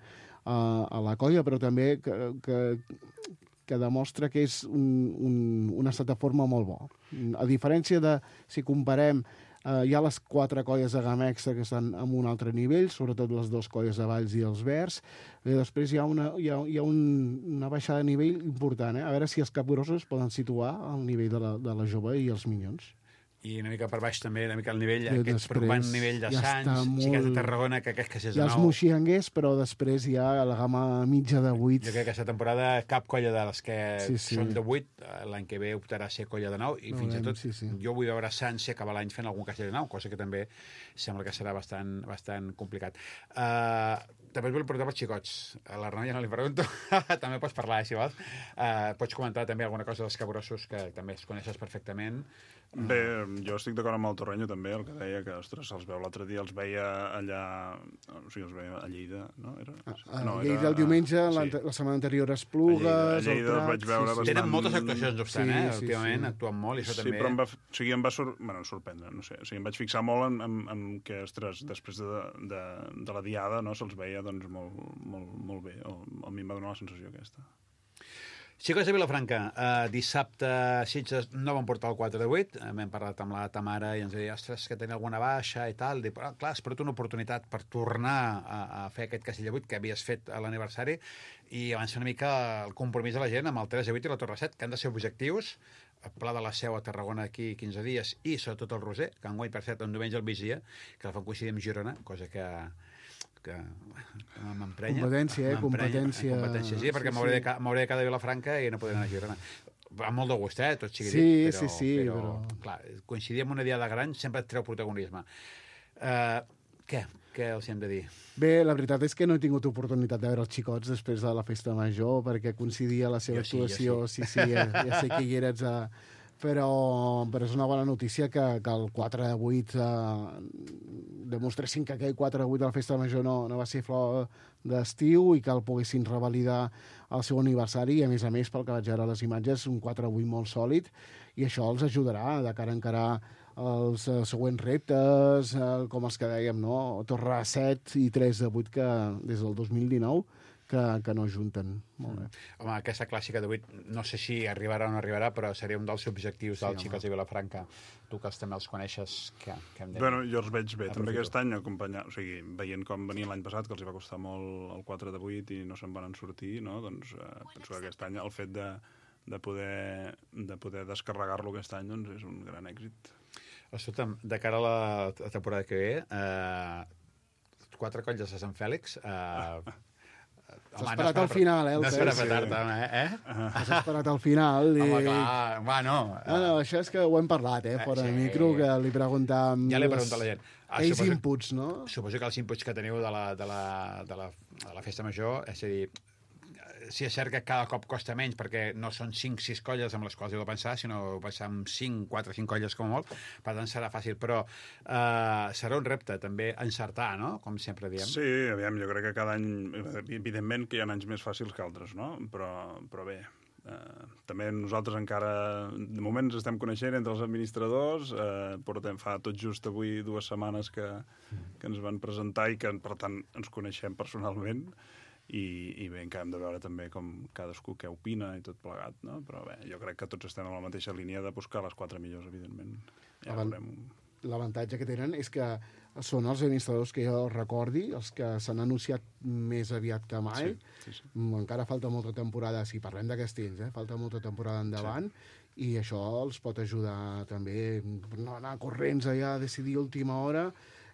a la colla, però també que demostra que és un estat de forma molt bo. A diferència de, si comparem, hi ha les 4 colles de gamma extra que estan en un altre nivell, sobretot les 2 colles de Valls i els Verds, i després hi ha una baixada de nivell important. A veure si els Capgrossos poden situar al nivell de la Jove i els Minyons. I una mica per baix també, una mica el nivell, I aquest preocupant nivell de Sants, Xiquets de Tarragona, que aquest que és ja els moxianguers, però després hi ha la gamma mitja de 8. Jo crec que aquesta temporada cap colla de les que són de 8, l'any que ve optarà a ser colla de 9, i fins i tot jo vull veure Sants si acaba l'any fent algun castell de 9, cosa que també sembla que serà bastant complicat. També us vull preguntar pels xicots. A l'Arnau ja no li pregunto. També pots parlar, si vols. Pots comentar també alguna cosa dels caborossos que també es coneixes perfectament. Bé, jo estic d'acord amb el Torrenyo també, el que deia que, ostres, se'ls veu l'altre dia, els veia allà, o sigui, els veia a Lleida, no? Lleida el diumenge, la setmana anterior a Esplugues, a Lleida els vaig veure bastant... Tenen moltes actuacions, no obstant, últimament actuen molt, i això també... Sí, però em va sorprendre, no sé, o sigui, em vaig fixar molt en que, ostres, després de la diada, no, se'ls veia, doncs, molt bé, o a mi em va donar la sensació aquesta. Xicots de Vilafranca, dissabte Sitges no van portar el 4 de 8, hem parlat amb la Tamara i ens deia, ostres, que tenia alguna baixa i tal, però clar, has perdut una oportunitat per tornar a fer aquest castell de 8 que havies fet a l'aniversari i avança una mica el compromís de la gent amb el 3 de 8 i la Torre 7, que han de ser objectius, el Pla de la Seu a Tarragona d'aquí 15 dies i sobretot el Roser, que enguany per cert un diumenge al migdia, que la fan coincidir amb Girona, cosa que m'emprenya. Competència. Sí, perquè m'hauré de quedar a Vilafranca i no podré anar a Girona. Amb molt de gust, tot sigui dit. Però clar, coincidir amb una diada gran sempre et treu protagonisme. Què els hem de dir? Bé, la veritat és que no he tingut oportunitat de veure els xicots després de la festa major, perquè coincidia la seva actuació. Sí, ja sé que hi eres però és una bona notícia que el 4 de 8 demostressin que aquell 4 de 8 de la festa major no va ser flor d'estiu i que el poguessin revalidar al seu aniversari i, a més, pel que vaig veure a les imatges, un 4 de 8 molt sòlid i això els ajudarà de cara a encarar els següents reptes, com els que dèiem, no? Torre 7 i 3 de 8 que des del 2019 que no junten. Molt bé. Home, aquesta clàssica de 8, no sé si arribarà o no arribarà, però seria un dels objectius dels xicots de Vilafranca. Tu que també els coneixes, què hem de dir? Bueno, jo els veig bé, també aquest any, acompanyar, o sigui, veient com venien l'any passat, que els va costar molt el 4 de 8 i no se'n van sortir, no? Doncs penso que aquest any el fet de poder descarregar-lo aquest any doncs és un gran èxit. Escolta'm, de cara a la temporada que ve, 4 colles a Sant Fèlix... S'ha esperat al final, No s'ha esperat tard, S'ha esperat al final. Home, clar, no. No, això és que ho hem parlat, fora de micro, que li preguntàvem... Ja li he preguntat a la gent. Aquells inputs, no? Suposo que els inputs que teniu de la festa major, és a dir, sí és cert que cada cop costa menys, perquè no són 5-6 colles amb les quals heu de pensar, sinó pensar en 4-5 colles com a molt, per tant serà fàcil, però serà un repte també encertar, no?, com sempre diem. Sí, aviam, jo crec que cada any, evidentment que hi ha anys més fàcils que altres, no?, però bé, també nosaltres encara, de moment ens estem coneixent entre els administradors, portem fa tot just avui 2 setmanes que ens van presentar i que, per tant, ens coneixem personalment, i bé, encara hem de veure també com cadascú què opina i tot plegat, no? Però bé, jo crec que tots estem en la mateixa línia de buscar les 4 millors, evidentment. Ja veurem. L'avantatge que tenen és que són els administradors que jo recordi, els que s'han anunciat més aviat que mai. Sí. Encara falta molta temporada, si parlem de Castells, falta molta temporada endavant, i això els pot ajudar també no anar corrents allà a decidir a última hora.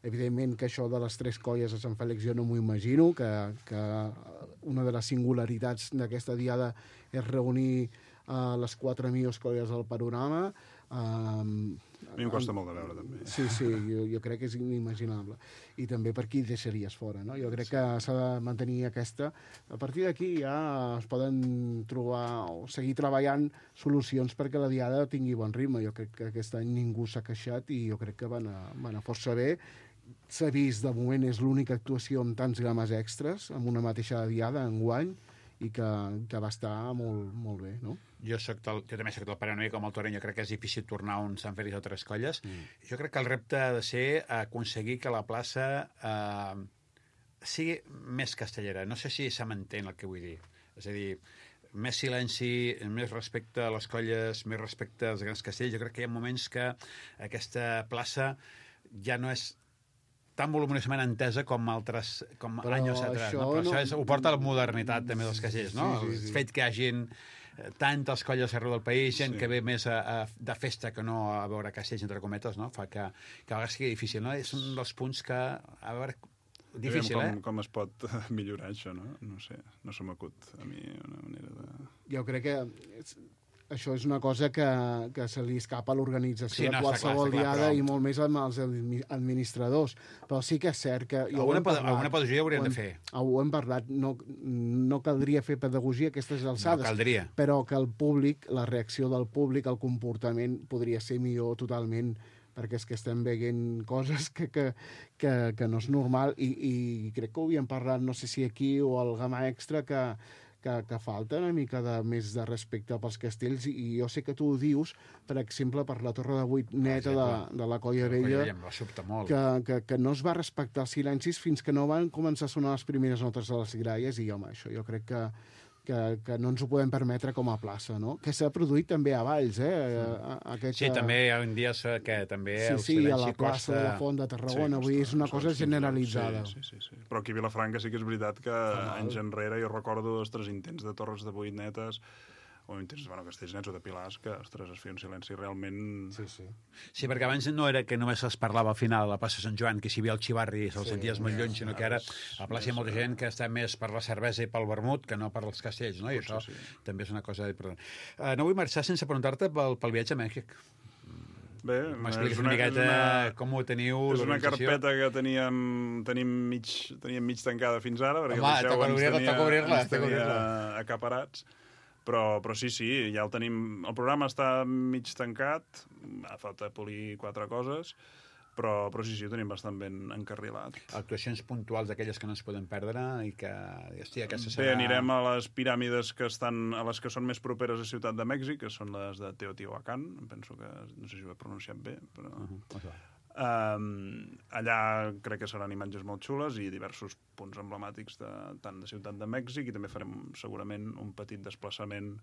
Evidentment que això de les 3 colles a Sant Fèlix jo no m'ho imagino, que una de les singularitats d'aquesta diada és reunir les 4 millors colles del panorama. A mi em costa molt de veure, també. Sí, jo crec que és inimaginable. I també per qui deixaries fora, no? Jo crec que s'ha de mantenir aquesta. A partir d'aquí ja es poden trobar o seguir treballant solucions perquè la diada tingui bon ritme. Jo crec que aquest any ningú s'ha queixat i jo crec que van a força bé. S'ha vist, de moment, és l'única actuació amb tants grames extras, amb una mateixa diada enguany, i que va estar molt, molt bé, no? Jo també soc del parer una mica com el Torrenyo, crec que és difícil tornar a un Sant Fèlix o 3 colles. Jo crec que el repte ha de ser aconseguir que la plaça sigui més castellera. No sé si se m'entén el que vull dir. És a dir, més silenci, més respecte a les colles, més respecte als grans castells. Jo crec que hi ha moments que aquesta plaça ja no és tan voluminosament entesa com anys atrás. Però això ho porta a la modernitat també dels castells, no? El fet que hi hagin tantes colles arreu del país, gent que ve més de festa que no a veure castells, entre cometes, no? Fa que a vegades sigui difícil, no? És un dels punts que, a veure, difícil, com es pot millorar això, no? No sé, no se m'acut a mi una manera de... Jo crec que això és una cosa que se li escapa a l'organització de qualsevol diada i molt més als administradors. Però sí que és cert que... Alguna pedagogia haurien de fer. Ho hem parlat, no caldria fer pedagogia a aquestes alçades. No caldria. Però que el públic, la reacció del públic, el comportament podria ser millor totalment, perquè és que estem veient coses que no és normal i crec que ho havíem parlat, no sé si aquí o al Gamma Extra, que falta una mica més de respecte pels castells, i jo sé que tu ho dius, per exemple, per la Torre de Vuit neta de la Colla Vella, que no es va respectar els silencis fins que no van començar a sonar les primeres notes de les gralles, i home, això jo crec que no ens ho podem permetre com a plaça, no? Que s'ha produït també a Valls, Sí, també hi ha dies que també el silenci costa... Sí, a la plaça de la Font de Tarragona, vull dir, és una cosa generalitzada. Sí. Però aquí a Vilafranca sí que és veritat que anys enrere jo recordo els 3 intents de Torres de Vuit netes, o intents, castells nets o de pilars, que, ostres, es feia un silenci realment... Sí, perquè abans no era que només es parlava al final a la plaça Sant Joan, que si hi havia el xivarri i se'l senties molt lluny, sinó que ara a la plaça hi ha molta gent que està més per la cervesa i pel vermut que no per els castells, no? I això també és una cosa important. No vull marxar sense preguntar-te pel viatge a Mèxic. Bé, m'expliques una miqueta com ho teniu, és una carpeta que tenim mig tancada fins ara, perquè el Liceu ens tenia acaparats. Però sí, ja el tenim... El programa està mig tancat, ha falta polir 4 coses, però sí, ho tenim bastant ben encarrilat. Actuacions puntuals d'aquelles que no es poden perdre i que... aquesta serà... Bé, anirem a les piràmides a les que són més properes a Ciutat de Mèxic, que són les de Teotihuacan, penso que... No sé si ho he pronunciat bé, però... Allà crec que seran imatges molt xules i diversos punts emblemàtics tant de Ciutat de Mèxic, i també farem segurament un petit desplaçament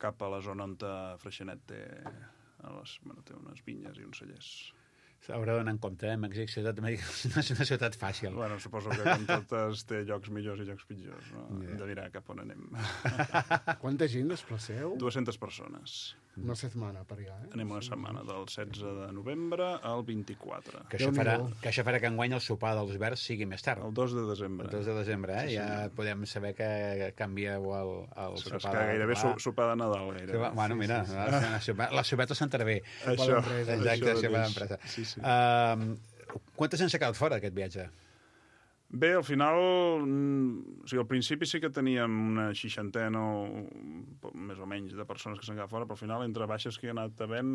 cap a la zona on Freixenet té unes vinyes i uns cellers. S'haurà d'anar en compte, Mèxic, Ciutat de Mèxic no és una ciutat fàcil. Bueno, suposo que com totes té llocs millors i llocs pitjors, no? Hem de mirar cap on anem. Quanta gent desplaceu? 200 persones. Una setmana per allà, Anem una setmana, del 16 de novembre al 24. Que això farà que enguany el sopar dels verds sigui més tard. El 2 de desembre. El 2 de desembre, ja podem saber que canvieu el sopar. És que gairebé sopar de Nadal. Bueno, mira, la sopeta s'entrarà bé. Això. Exacte, sopar d'empresa. Quanta gent s'ha quedat fora d'aquest viatge? Bé, al final, al principi sí que teníem una 60 més o menys de persones que s'han quedat fora, però al final, entre baixes que hi ha anat havent,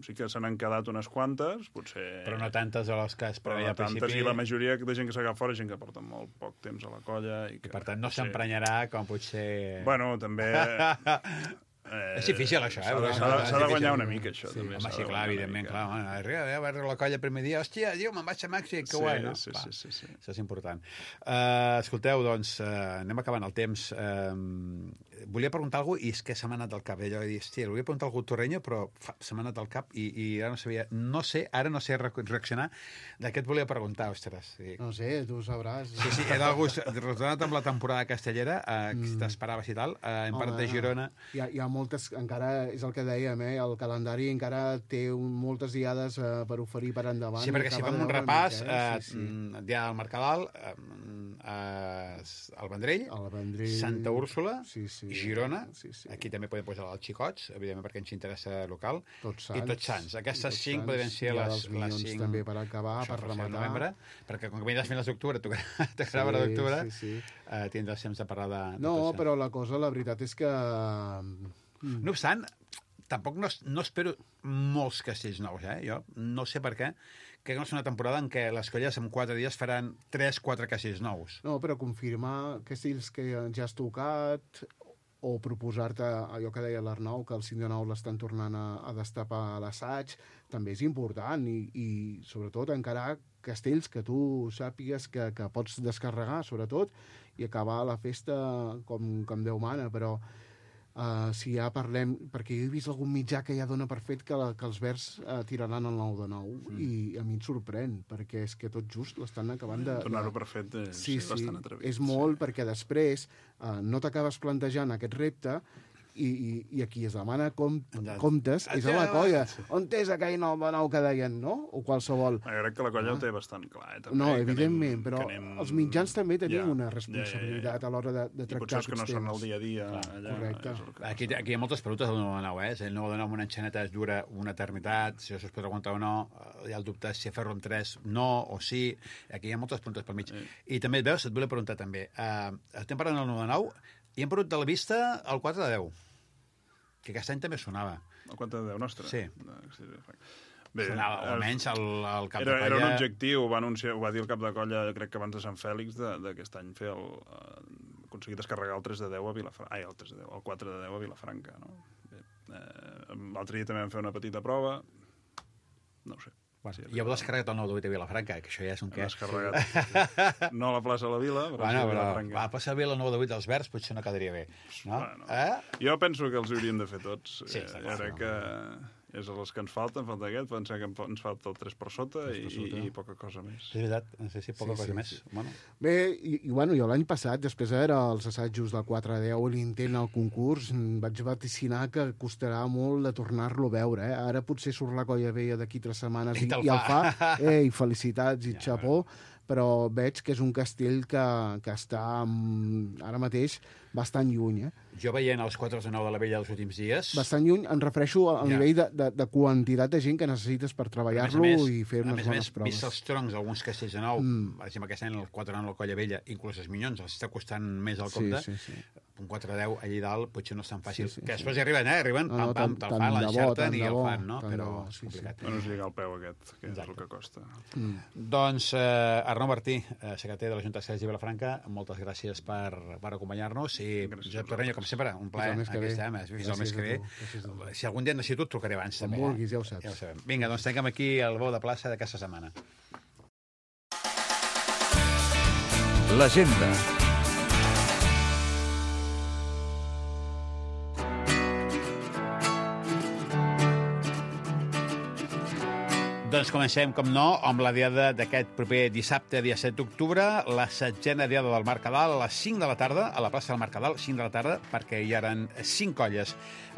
sí que se n'han quedat unes quantes, potser... Però no tantes a les que es preveia al principi. I la majoria de gent que s'ha quedat fora és gent que porta molt poc temps a la colla. I per tant, no s'emprenyarà com potser... Bueno, també... És difícil, això, S'ha de guanyar una mica, això. Home, sí, clar, evidentment, clar. Arriba a veure la colla el primer dia, hòstia, me'n vaig a Mèxic, que guai, no? Sí. Això és important. Escolteu, doncs, anem acabant el temps. Volia preguntar alguna cosa, i és que se m'ha anat al cap. Allò de dir, hòstia, volia preguntar algú torreño, però se m'ha anat al cap i ara no sabia... Ara no sé reaccionar de què et volia preguntar, ostres. No sé, tu ho sabràs. Sí, era algú relacionat amb la temporada castellera, que t'esperaves i tal, en part de Girona... Hi ha moltes, encara és el que dèiem, el calendari encara té moltes diades per oferir per endavant. Sí, perquè si fem un repàs, dia del Mercadal, el Vendrell, Santa Úrsula, Girona, aquí també podem posar els xicots, evidentment perquè ens interessa local, i Tots Sants. Aquestes 5 podrien ser les 5... també per acabar, per rematar. Novembre, perquè com que vindràs fins d'octubre, t'agrada d'octubre, tindràs temps de parlar de... No, però la cosa, la veritat és que... No obstant, tampoc no espero molts castells nous, Jo no sé per què. Que no és una temporada en què les colles en 4 dies faran 3-4 castells nous. No, però confirmar castells que ja has tocat o proposar-te allò que deia l'Arnau, que el 5 de 9 l'estan tornant a destapar a l'assaig, també és important i sobretot encarar castells que tu sàpigues que pots descarregar, sobretot, i acabar la festa com Déu mana, però si ja parlem... Perquè jo he vist algun mitjà que ja dona per fet que els verds tiraran el 9 de 9 i a mi em sorprèn, perquè és que tot just l'estan acabant de... Donar-ho per fet és bastant atrevit. És molt, perquè després no t'acabes plantejant aquest repte i aquí es demana comptes, és a la colla. On és aquell nou que deien, no? O qualsevol. Jo crec que la colla ho té bastant clar, també. No, evidentment, però els mitjans també tenim una responsabilitat a l'hora de tractar aquests temes. I potser és que no són el dia a dia. Correcte. Aquí hi ha moltes preguntes del 9-9, eh? El 9-9 amb una enxaneta es dura una eternitat, si això es pot aguantar o no, hi ha el dubte si fer-lo amb 3 no o sí. Aquí hi ha moltes preguntes pel mig. I també, veus, et volia preguntar també, estem parlant del 9-9 i hem perdut de la vista el 4 de 10, que aquest any també sonava. El 4 de 10 nostre? Sí. Bé, sonava, almenys el cap de colla... Era un objectiu, ho va dir el cap de colla, crec que abans de Sant Fèlix, d'aquest any fer aconseguir descarregar el 3 de 10 a Vilafranca. Ai, el 4 de 10 a Vilafranca, no? L'altre dia també vam fer una petita prova, no ho sé. Bueno, sí, i heu descarregat el 9 de 8 a Vilafranca, que això ja és un què. Descarregat. No a la plaça de la Vila, però sí a Vilafranca. A la plaça de la Vila, el 9 de 8 dels Verds potser no quedaria bé. No? Bueno, jo penso que els hauríem de fer tots. Sí, jo crec que és els que ens falta aquest, pensem que ens falta el 3 per sota i poca cosa més. És veritat, no sé si poca cosa més. Bueno. Bé, i jo l'any passat, després de veure els assajos del 4 a 10, l'intent al concurs, vaig vaticinar que costarà molt de tornar-lo a veure. Ara potser surt la colla vella d'aquí 3 setmanes i el fa. I felicitats i xapó, però veig que és un castell que està ara mateix bastant lluny. Jo veient els 4 de 9 de la vella dels últims dies... Bastant lluny, em refereixo al nivell de quantitat de gent que necessites per treballar-lo i fer unes bones proves. A més, vist els troncs d'alguns castells de 9, per exemple, aquest any el 4 de 9 la colla vella, inclús els minyons, els està costant més al compte. Sí. Un 4 de 10 allà dalt potser no és tan fàcil. Que després hi arriben, pam, te'l fan, l'enxerten i el fan, no? Però és complicat. No es lliga el peu aquest, que és el que costa. Doncs, Arnau Martí, secretari de la Junta de Castells de Vilafranca, moltes gràcies per acompanyar-nos i Josep Torreño, com sempre, un plaer. Aquí estem, fins el mes que ve. Si algun dia necessito, et trucaré abans. Com vulguis, ja ho saps. Vinga, doncs tanquem aquí el bou de plaça d'aquesta setmana. L'agenda. Doncs comencem, com no, amb la diada d'aquest proper dissabte, dia 7 d'octubre, la 7a diada del Mercadal, a les 5 de la tarda, a la plaça del Mercadal, 5 de la tarda, perquè hi eren 5 colles.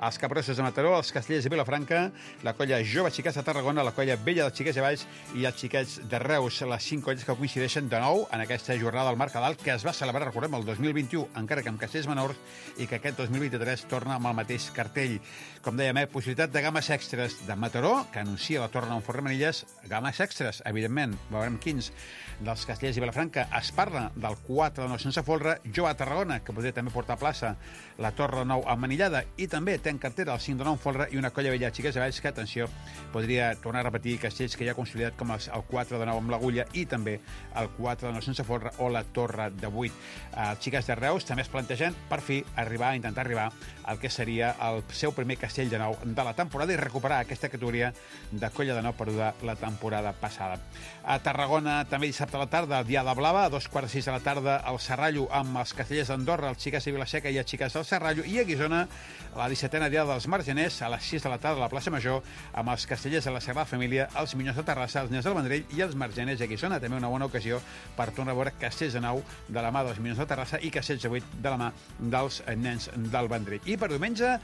Els Capgrossos de Mataró, els Castellers de Vilafranca, la colla Jove Xiquets de Tarragona, la colla Vella dels Xiquets de Valls i els Xiquets de Reus, les 5 colles que coincideixen de nou en aquesta jornada del Mercadal, que es va celebrar, recordem, el 2021, encara que amb castells menors, i que aquest 2023 torna amb el mateix cartell. Com dèiem, possibilitat de games extres de Mataró, que anuncia la torna amb Forremanilles, games extres, evidentment, veurem quins, dels Castellers de Vilafranca. Es parla del 4 de 9 sense folre, Jove a Tarragona, que podria també portar a plaça la Torre 9 emmanillada, i també té en cartera el 5 de 9 folre i una colla vella Xiquets de Valls, que, atenció, podria tornar a repetir castells que ja ha consolidat com el 4 de 9 amb l'agulla i també el 4 de 9 sense folre o la Torre de 8. Els Xiquets de Reus també es plantegen, per fi, intentar arribar al que seria el seu primer castell de 9 de la temporada i recuperar aquesta categoria de colla de 9 perduda la temporada passada. A Tarragona, també dissabte a la tarda, el Diada Blava, a 2:45 de la tarda, el Serrallo amb els Castellers d'Andorra, els Xiquets de Vilaseca i els Xiquets del Serrallo, i a Guissona, la 17a Diada dels Margeners, a les 6 de la tarda a la plaça Major, amb els Castellers de la Sagrada Família, els Minyons de Terrassa, els Nens del Vendrell i els Margeners de Guissona. També una bona ocasió per tornar a veure castells de 9 de la mà dels Minyons de Terrassa i castells de 8 de la mà dels Nens del Vendrell. I per diumenge,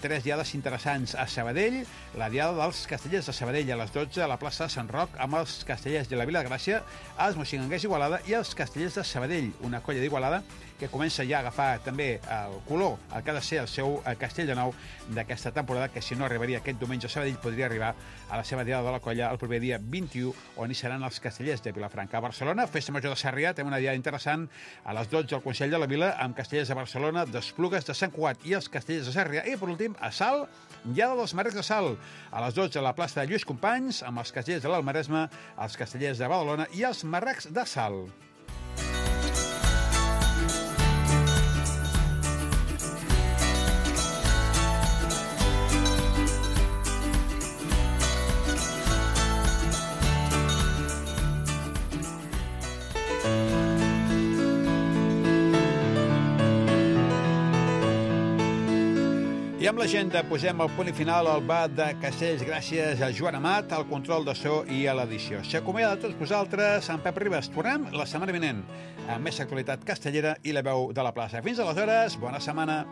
3 diades interessants a Sabadell, la Diada dels Castellers de Sabadell a les 12 a la plaça de Sant Roc, amb els Castellers de la Vila de Gràcia, els Moixinganguers d'Igualada i els Castellers de Sabadell, una colla d'Igualada que comença ja a agafar també el color, el que ha de ser el seu castell de 9 d'aquesta temporada, que si no arribaria aquest diumenge a Sabadell, podria arribar a la seva diada de la colla el proper dia 21, on hi seran els Castellers de Vilafranca. A Barcelona, Festa Major de Sarrià, també una diada interessant, a les 12 al Consell de la Vila, amb Castellers de Barcelona, d'Esplugues de Sant Cugat i els Castellers de Sarrià. I, per últim, a Salt, Diada dels Marrecs de Salt, a les 12 a la plaça de Lluís Companys, amb els Castellers de l'Almaresme, els Castellers de Badalona i els Marrecs de Salt. I amb l'agenda posem el punt i final al Bat de Castells gràcies a Joan Amat, al control de so i a l'edició. S'acomiada de tots vosaltres, en Pep Ribas. Tornem la setmana vinent amb més actualitat castellera i la veu de la plaça. Fins aleshores, bona setmana.